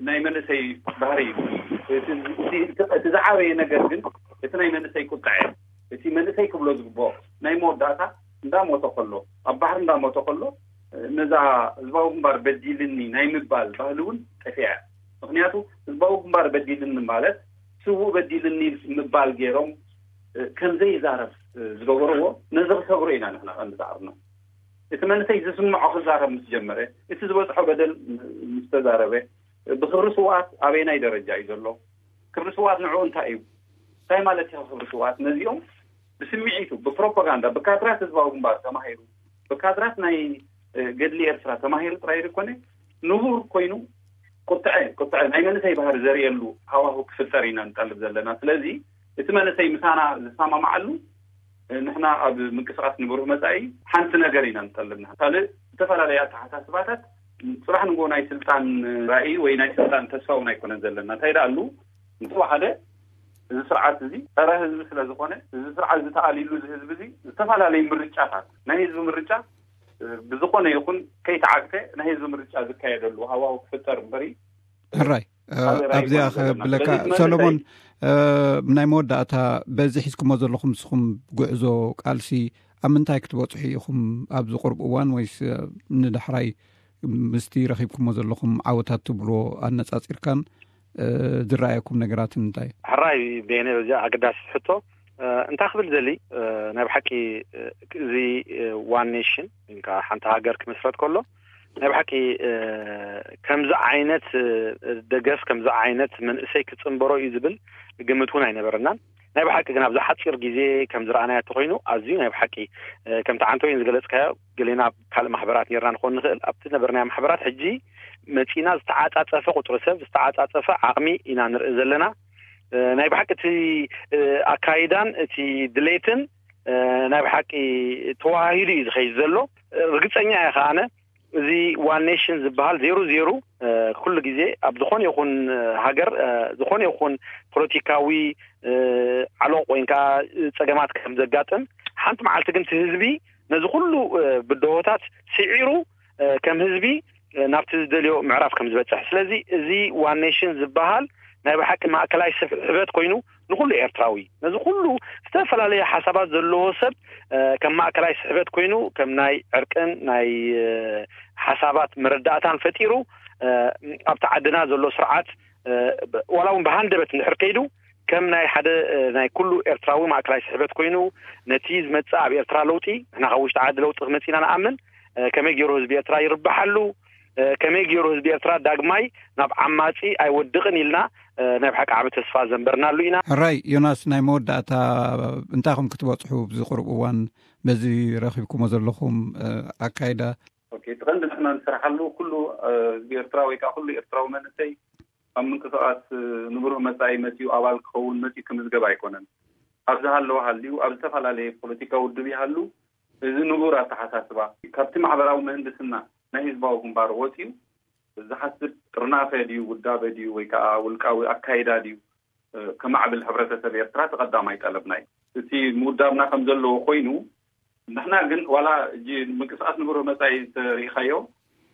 ናይ መንእሰይ ባህሪ እዩ። እቲ ዝዓበየ ነገር ግን እቲ ናይ መንእሰይ ቁጥዐ፣ እቲ መንእሰይ ክብሎ ዝግብኦ ናይ መወዳእታ እንዳሞተ ከሎ፣ ኣብ ባሕሪ እንዳሞተ ከሎ፣ ነዛ ህዝባዊ ግንባር በዲልኒ ናይ ምባል ባህሊ እውን ጠፊዐ። ምክንያቱ ህዝባዊ ግንባር በዲልኒ ማለት ስዉእ በዲልኒ ምባል ገይሮም ከምዘይዛረብ ዝገበርዎ፣ ነዚ ክሰብሮ ኢና ንሕና ከም ዝዓርና። እቲ መንእሰይ ዝስምዖ ክዛረብ ምስ ጀመረ፣ እቲ ዝበፅሖ በደል ምስ ተዛረበ፣ ብክብሪ ስውኣት ኣበየናይ ደረጃ እዩ ዘሎ? ክብሪ ስውኣት ንዕኡ እንታይ እዩ? እንታይ ማለት እዩ ክብሪ ስውኣት? ነዚኦም ብስምዒቱ፣ ብፕሮፓጋንዳ፣ ብካድራት ህዝባዊ ግንባር ተማሂሩ፣ ብካድራት ናይ ገድሊ ኤርትራ ተማሂሩ ጥራይ ዘይኮነ፣ ንቡር ኮይኑ ቁጥዐ ቁጥዐ ናይ መንእሰይ ባህሪ ዘርእየሉ ሃዋሁ ክፍጠር ኢና ንጠልብ ዘለና። ስለዚ እቲ መንእሰይ ምሳና ዝሰማማዓሉ፣ ንሕና ኣብ ምንቅስቃስ ንብሩህ መጻኢ ሓንቲ ነገር ኢና ንጠልብ። ንሕና ካልእ ዝተፈላለየ ኣተሓሳስባታት፣ ጽባሕ ንጎ ናይ ስልጣን ራእይ ወይ ናይ ስልጣን ተስፋ እውን ኣይኮነን ዘለና። እንታይ ደኣ ኣሉ፣ እንተወሓደ እዚ ስርዓት እዚ ጸረ ህዝቢ ስለ ዝኾነ፣ እዚ ስርዓት እዚ ተኣልዩሉ፣ እዚ ህዝቢ እዚ ዝተፈላለየ ምርጫታት፣ ናይ ህዝቢ ምርጫ ብዝኾነ ይኹን ከይተዓግተ ናይ ህዝቢ ምርጫ ዝካየደሉ ሃዋሁ ክፍጠር እምበሪ። ሕራይ፣ እ፣ ካልእ ራእይ ኣብዚኣ ኣይኮነን ዘለና። ከብለካ፣ ስለዚ እቲ መንእሰይ ሰሎሞን፣ እ፣ ናይ መወዳእታ፣ በዚ ሒዝኩሞ ዘለኹም ንስኹም ጉዕዞ ቃልሲ ኣብ ምንታይ ክትበጽሑ ኢኹም ኣብዚ ቁሩብ እዋን፣ ወይስ፣ እ፣ ንዳሕራይ ምስቲ ረኺብኩሞ ዘለኹም ዓወታት ትብልዎ ኣነጻጺርካን፣ እ፣ ዝረኣየኩም ነገራትን እንታይ? ሕራይ ቤነ፣ በዚ ኣገዳሲ ሕቶ፣ እ፣ እንታይ ክብል ዘሊ፣ እ፣ ናይ ብሓቂ፣ እ፣ እዚ፣ እ፣ ዋን ኔሽን ወይ ከዓ ሓንቲ ሃገር ክምስረት ከሎ ናይ ብሓቂ፣ እ፣ ከምዚ ዓይነት፣ እ፣ ደገፍ፣ ከምዚ ዓይነት መንእሰይ ክጽንበሮ እዩ ዝብል ግምት እውን ኣይነበረናን። ናይ ብሓቂ ግን ኣብዚ ሓጺር ግዜ ከም ዝረኣናዮ እንተኾይኑ ኣዝዩ ናይ ብሓቂ፣ እ፣ ከምቲ ዓንተወይን ዝገለጽካዮ፣ ገሌና ኣብ ካልእ ማሕበራት ኔርና ንኾን ንኽእል። ኣብቲ ነበርናዮ ማሕበራት ሕጂ መጺና ዝተዓጻጸፈ ቁጽሪ ሰብ፣ ዝተዓጻጸፈ ዓቕሚ ኢና ንርኢ ዘለና። እ፣ ናይ ብሓቂ እቲ፣ እ፣ ኣካይዳን እቲ ድሌትን፣ እ፣ ናይ ብሓቂ ተዋሂዱ እዩ ዝኸይድ ዘሎ። እ፣ ርግጸኛ እየ ከኣነ እዚ ዋን ኔሽን ዝበሃል ዜሩ ዜሩ፣ እ፣ ኩሉ ግዜ ኣብ ዝኾነ ይኹን፣ እ፣ ሃገር፣ እ፣ ዝኾነ ይኹን ፖለቲካዊ፣ እ፣ ዓሎቕ ወይ ከዓ ጸገማት ከም ዘጋጥም፣ ሓንቲ መዓልቲ ግን እቲ ህዝቢ ነዚ ኩሉ፣ እ፣ ብድሆታት ስዒሩ፣ እ፣ ከም ህዝቢ፣ እ፣ ናብቲ ዝደልዮ ምዕራፍ ከም ዝበጽሕ። ስለዚ እዚ ዋን ኔሽን ዝበሃል ናይ ብሓቂ ማእከላይ ስሕበት ኮይኑ ንኹሉ ኤርትራዊ፣ ነዚ ኩሉ ዝተፈላለየ ሓሳባት ዘለዎ ሰብ፣ እ፣ ከም ማእከላይ ስሕበት ኮይኑ፣ ከም ናይ ዕርቅን ናይ፣ እ፣ ሓሳባት መረዳእታን ፈጢሩ፣ እ፣ ኣብቲ ዓድና ዘሎ ስርዓት፣ እ፣ ብ-፣ ዋላ እውን ብሃንደበት እንድሕር ከይዱ፣ ከም ናይ ሓደ፣ እ፣ ናይ ኩሉ ኤርትራዊ ማእከላይ ስሕበት ኮይኑ፣ ነቲ ዝመጽእ ኣብ ኤርትራ ለውጢ፣ ንሕና ካብ ውሽጢ ዓዲ ለውጢ ክመጽእ ኢና ንኣምን፣ እ፣ ከመይ ገይሩ ህዝቢ ኤርትራ ይርብሓሉ፣ እ፣ ከመይ ገይሩ ህዝቢ ኤርትራ ዳግማይ ናብ ዓማጺ ኣይወድቕን ኢልና፣ እ፣ ናይ ብሓቂ ዓቢ ተስፋ ዘንበርናሉ ኢና። ሕራይ ዮናስ፣ ናይ መወዳእታ እንታይ ኢኹም ክትበጽሑ ኣብዚ ቁሩብ እዋን በዚ ረኺብኩሞ ዘለኹም፣ እ፣ ኣካይዳ? ኦኬ፣ እቲ ቀንዲ ንሕና ንሰርሓሉ ኩሉ፣ እ፣ ህዝቢ ኤርትራ ወይ ከዓ ኩሉ ኤርትራዊ መንእሰይ ኣብ ምንቅስቃስ፣ እ፣ ንብሩህ መጻኢ መጺኡ ኣባል ክኸውን መጺኡ ክምዝገብ ኣይኮነን። ኣብ ዝሃለወ ሃልዩ፣ ኣብ ዝተፈላለየ ፖለቲካዊ ውድብ ይሃሉ፣ እዚ ንቡር ኣተሓሳስባ ካብቲ ማሕበራዊ ምህንድስና ናይ ህዝባዊ ግንባር ወጺኡ ዝሓስብ ጥርናፈ ድዩ፣ ውዳበ ድዩ፣ ወይ ከዓ ውልቃዊ ኣካይዳ ድዩ፣ እ፣ ከማዕብል ሕብረተሰብ ኤርትራ እቲ ቀዳማይ ጠለብና እዩ። እቲ ምውዳብና ከም ዘለዎ ኮይኑ፣ ንሕና ግን ዋላ እጂ ምንቅስቃስ ንብሩህ መጻኢ እንተሪኢኻዮ፣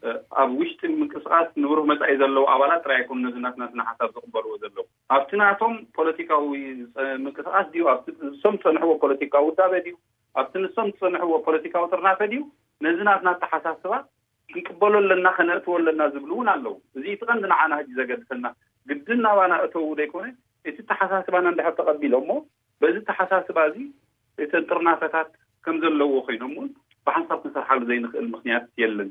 እ፣ ኣብ ውሽጢ ምንቅስቃስ ንብሩህ መጻኢ ዘለዉ ኣባላት ጥራይ ኣይኮኑ ነዚ ናትና ስነ ሓሳብ ዝቕበልዎ ዘለዉ። ኣብቲ ናቶም ፖለቲካዊ ጸ-፣ ምንቅስቃስ ድዩ፣ ኣብቲ ንሶም ዝጸንሕዎ ፖለቲካዊ ውዳበ ድዩ፣ ኣብቲ ንሶም ዝጸንሕዎ ፖለቲካዊ ጥርናፈ ድዩ፣ ነዚ ናትና ኣተሓሳስባ ክንቅበሎ ኣለና፣ ከነእትዎ ኣለና ዝብሉ እውን ኣለዉ። እዚ እቲ ቀንዲ ንዓና ሕጂ ዘገድሰና፣ ግድን ናባና እተዉ ዘይኮነ፣ እቲ ኣተሓሳስባና እንድሕር ተቐቢሎሞ፣ በዚ ኣተሓሳስባ እዚ እተን ጥርናፈታት ከም ዘለዎ ኮይኖም እውን ብሓንሳብ ክንሰርሓሉ ዘይንኽእል ምኽንያት የለን።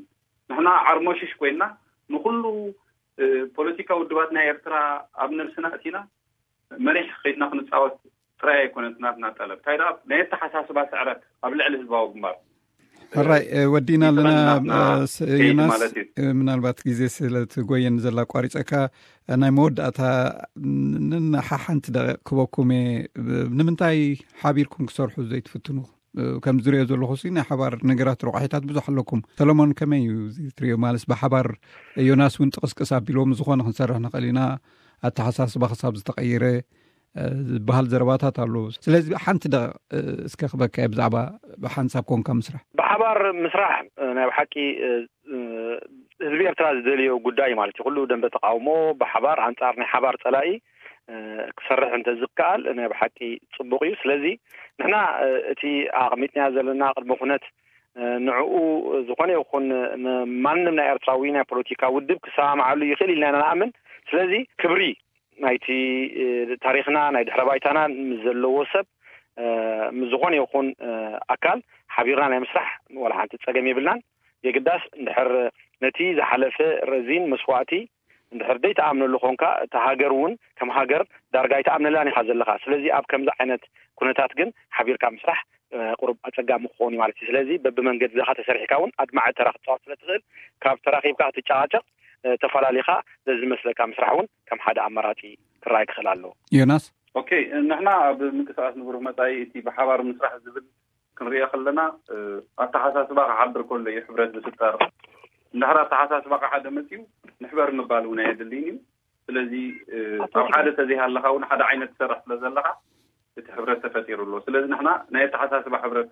ንሕና ዓርሞሽሽ ኮይንና ንኹሉ፣ እ፣ ፖለቲካዊ ውድባት ናይ ኤርትራ ኣብ ነብስና እቲና መሪሕ ከይድና ክንጻወት ጥራይ ኣይኮነን ናትና ጠለብ። እንታይ ደኣ ናይ ኣተሓሳስባ ስዕረት ኣብ ልዕሊ ህዝባዊ ግንባር። ሕራይ፣ እ፣ ወዲእና ኣለና። ናትና እ፣ ስ-፣ ከይዲ ዮናስ፣ ማለት እዩ። እ፣ ምናልባት ግዜ ስለ ትጎየኒ ዘላ ኣቋሪጸካ፣ እ፣ ናይ መወዳእታ ን-፣ ን-፣ ሓሓንቲ ደቂቕ ክበኩም እየ። ብ-፣ ንምንታይ ሓቢርኩም ክሰርሑ ዘይትፍትኑ? እ፣ ከም ዝሪኦ ዘለኹ ሲ ናይ ሓባር ነገራት ረቋሒታት ብዙሕ ኣለኩም። ሰሎሞን ከመይ እዩ እዚ ትሪኦ? ማለት ብሓባር ዮናስ እውን ጥቕስቅስ ኣቢሎም ዝኾነ ክንሰርሕ ንኽእል ኢና፣ ኣተሓሳስባ ክሳብ ዝተቐየረ፣ እ፣ ዝበሃል ዘረባታት ኣሎ። ስለዚ ሓንቲ ደቂቕ፣ እ፣ እስከ ክበካ እየ ብዛዕባ ብሓንሳብ ኮንካ ምስራሕ። ብሓ-፣ ሓባር ምስራሕ ናይ ብሓቂ ህዝቢ ኤርትራ ዝደልዮ ጉዳይ ማለት እዩ። ኩሉ ደንበ ተቃውሞ ብሓባር ኣንጻር ናይ ሓባር ጸላኢ ክሰርሕ እንተዝከኣል ናይ ብሓቂ ጽቡቕ እዩ። ስለዚ ንሕና እቲ ኣቕሚጥና ዘለና ቅድመ ኩነት ንዕኡ ዝኾነ ይኹን ማንም ናይ ኤርትራዊ ናይ ፖለቲካ ውድብ ክሰማማዓሉ ይኽእል ኢልና ኢና ንኣምን። ስለዚ ክብሪ ናይቲ ታሪኽና ናይ ድሕረ ባይታና ምስ ዘለዎ ሰብ ምስ ዝኾነ ይኹን ኣካል ሓቢርና ናይ ምስራሕ ዋላ ሓንቲ ጸገም የብልናን። የግዳስ እንድሕር ነቲ ዝሓለፈ ረዚን መስዋእቲ እንድሕር ዘይተኣምነሉ ኾንካ እታ ሃገር እውን ከም ሃገር ዳርጋ ኣይተኣምነላን ኢኻ ዘለኻ። ስለዚ ኣብ ከምዚ ዓይነት ኩነታት ግን ሓቢርካ ምስራሕ ቁሩብ ኣጸጋሚ ክኸውን እዩ ማለት እዩ። ስለዚ በብመንገዲ ዛኻ ተሰሪሕካ እውን ኣድማዒ ተራ ክትጻወት ስለ ትኽእል ካብ ተራኺብካ ክትጨቃጨቕ ተፈላሊኻ ዘዝመስለካ ምስራሕ እውን ከም ሓደ ኣማራጺ ክረኣይ ክኽእል ኣለዎ። ዮናስ? ኦኬ፣ ንሕና ኣብ ምንቅስቃስ ንብሩህ መጻኢ እቲ ብሓባር ምስራሕ ዝብል ክንሪኦ ከለና ኣተሓሳስባ ክሓድር ከሎ እዩ ሕብረት ዝፍጠር። እንድሕር ኣተሓሳስባካ ሓደ መፅዩ ንሕበር ምባል እውን ኣየድልይን እዩ። ስለዚ ኣብ ሓደ ተዘይሃለካ እውን ሓደ ዓይነት ትሰርሕ ስለ ዘለካ እቲ ሕብረት ተፈጢሩ ኣሎ። ስለዚ ንሕና ናይ ኣተሓሳስባ ሕብረት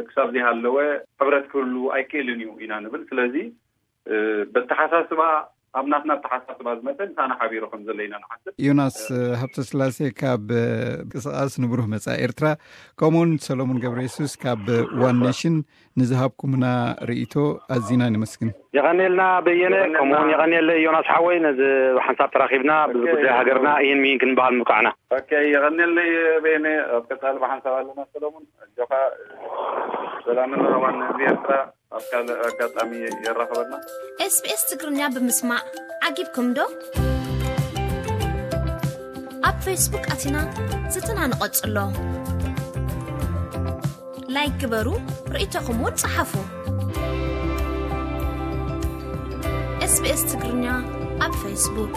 ክሳብ ዘይሃለወ ሕብረት ክህሉ ኣይክእልን እዩ ኢና ንብል። ስለዚ በተሓሳስባ ኣብ ናትና ኣተሓሳስባ ዝመፀ ምሳና ሓቢሩ ከም ዘሎ ኢና ንሓስብ። ዮናስ ሃብተስላሴ ካብ ቅስቃስ ንብሩህ መጻኢ ኤርትራ፣ ከምኡውን ሰሎሞን ገብረ የሱስ ካብ ዋን ኔሽን ንዝሃብኩምና ርእይቶ ኣዚና ነመስግን። የቐኔልና በየነ፣ ከምኡውን የቐኔለ ዮናስ ሓወይ ነዚ ሓንሳብ ተራኺብና ብዚ ጉዳይ ሃገርና ይህን ሚን ክንበሃል ምብቃዕና። ኦኬ፣ የቐኔለይ በየነ፣ ኣብ ቀጻሊ ብሓንሳብ ኣለና። ሰሎሞን፣ ኣጆኻ፣ ሰላምን ራህዋን ንህዝቢ ኤርትራ ኣብ ካልእ ኣጋጣሚ የራኽበና። SBS ትግርኛ ብምስማዕ ዓጊብኩም ዶ? ኣብ ፌስቡክ ኣቲና ዝትና ንቐጽሎ። ላይክ ግበሩ፣ ርእይቶኹም እውን ጸሓፉ። SBS ትግርኛ ኣብ ፌስቡክ።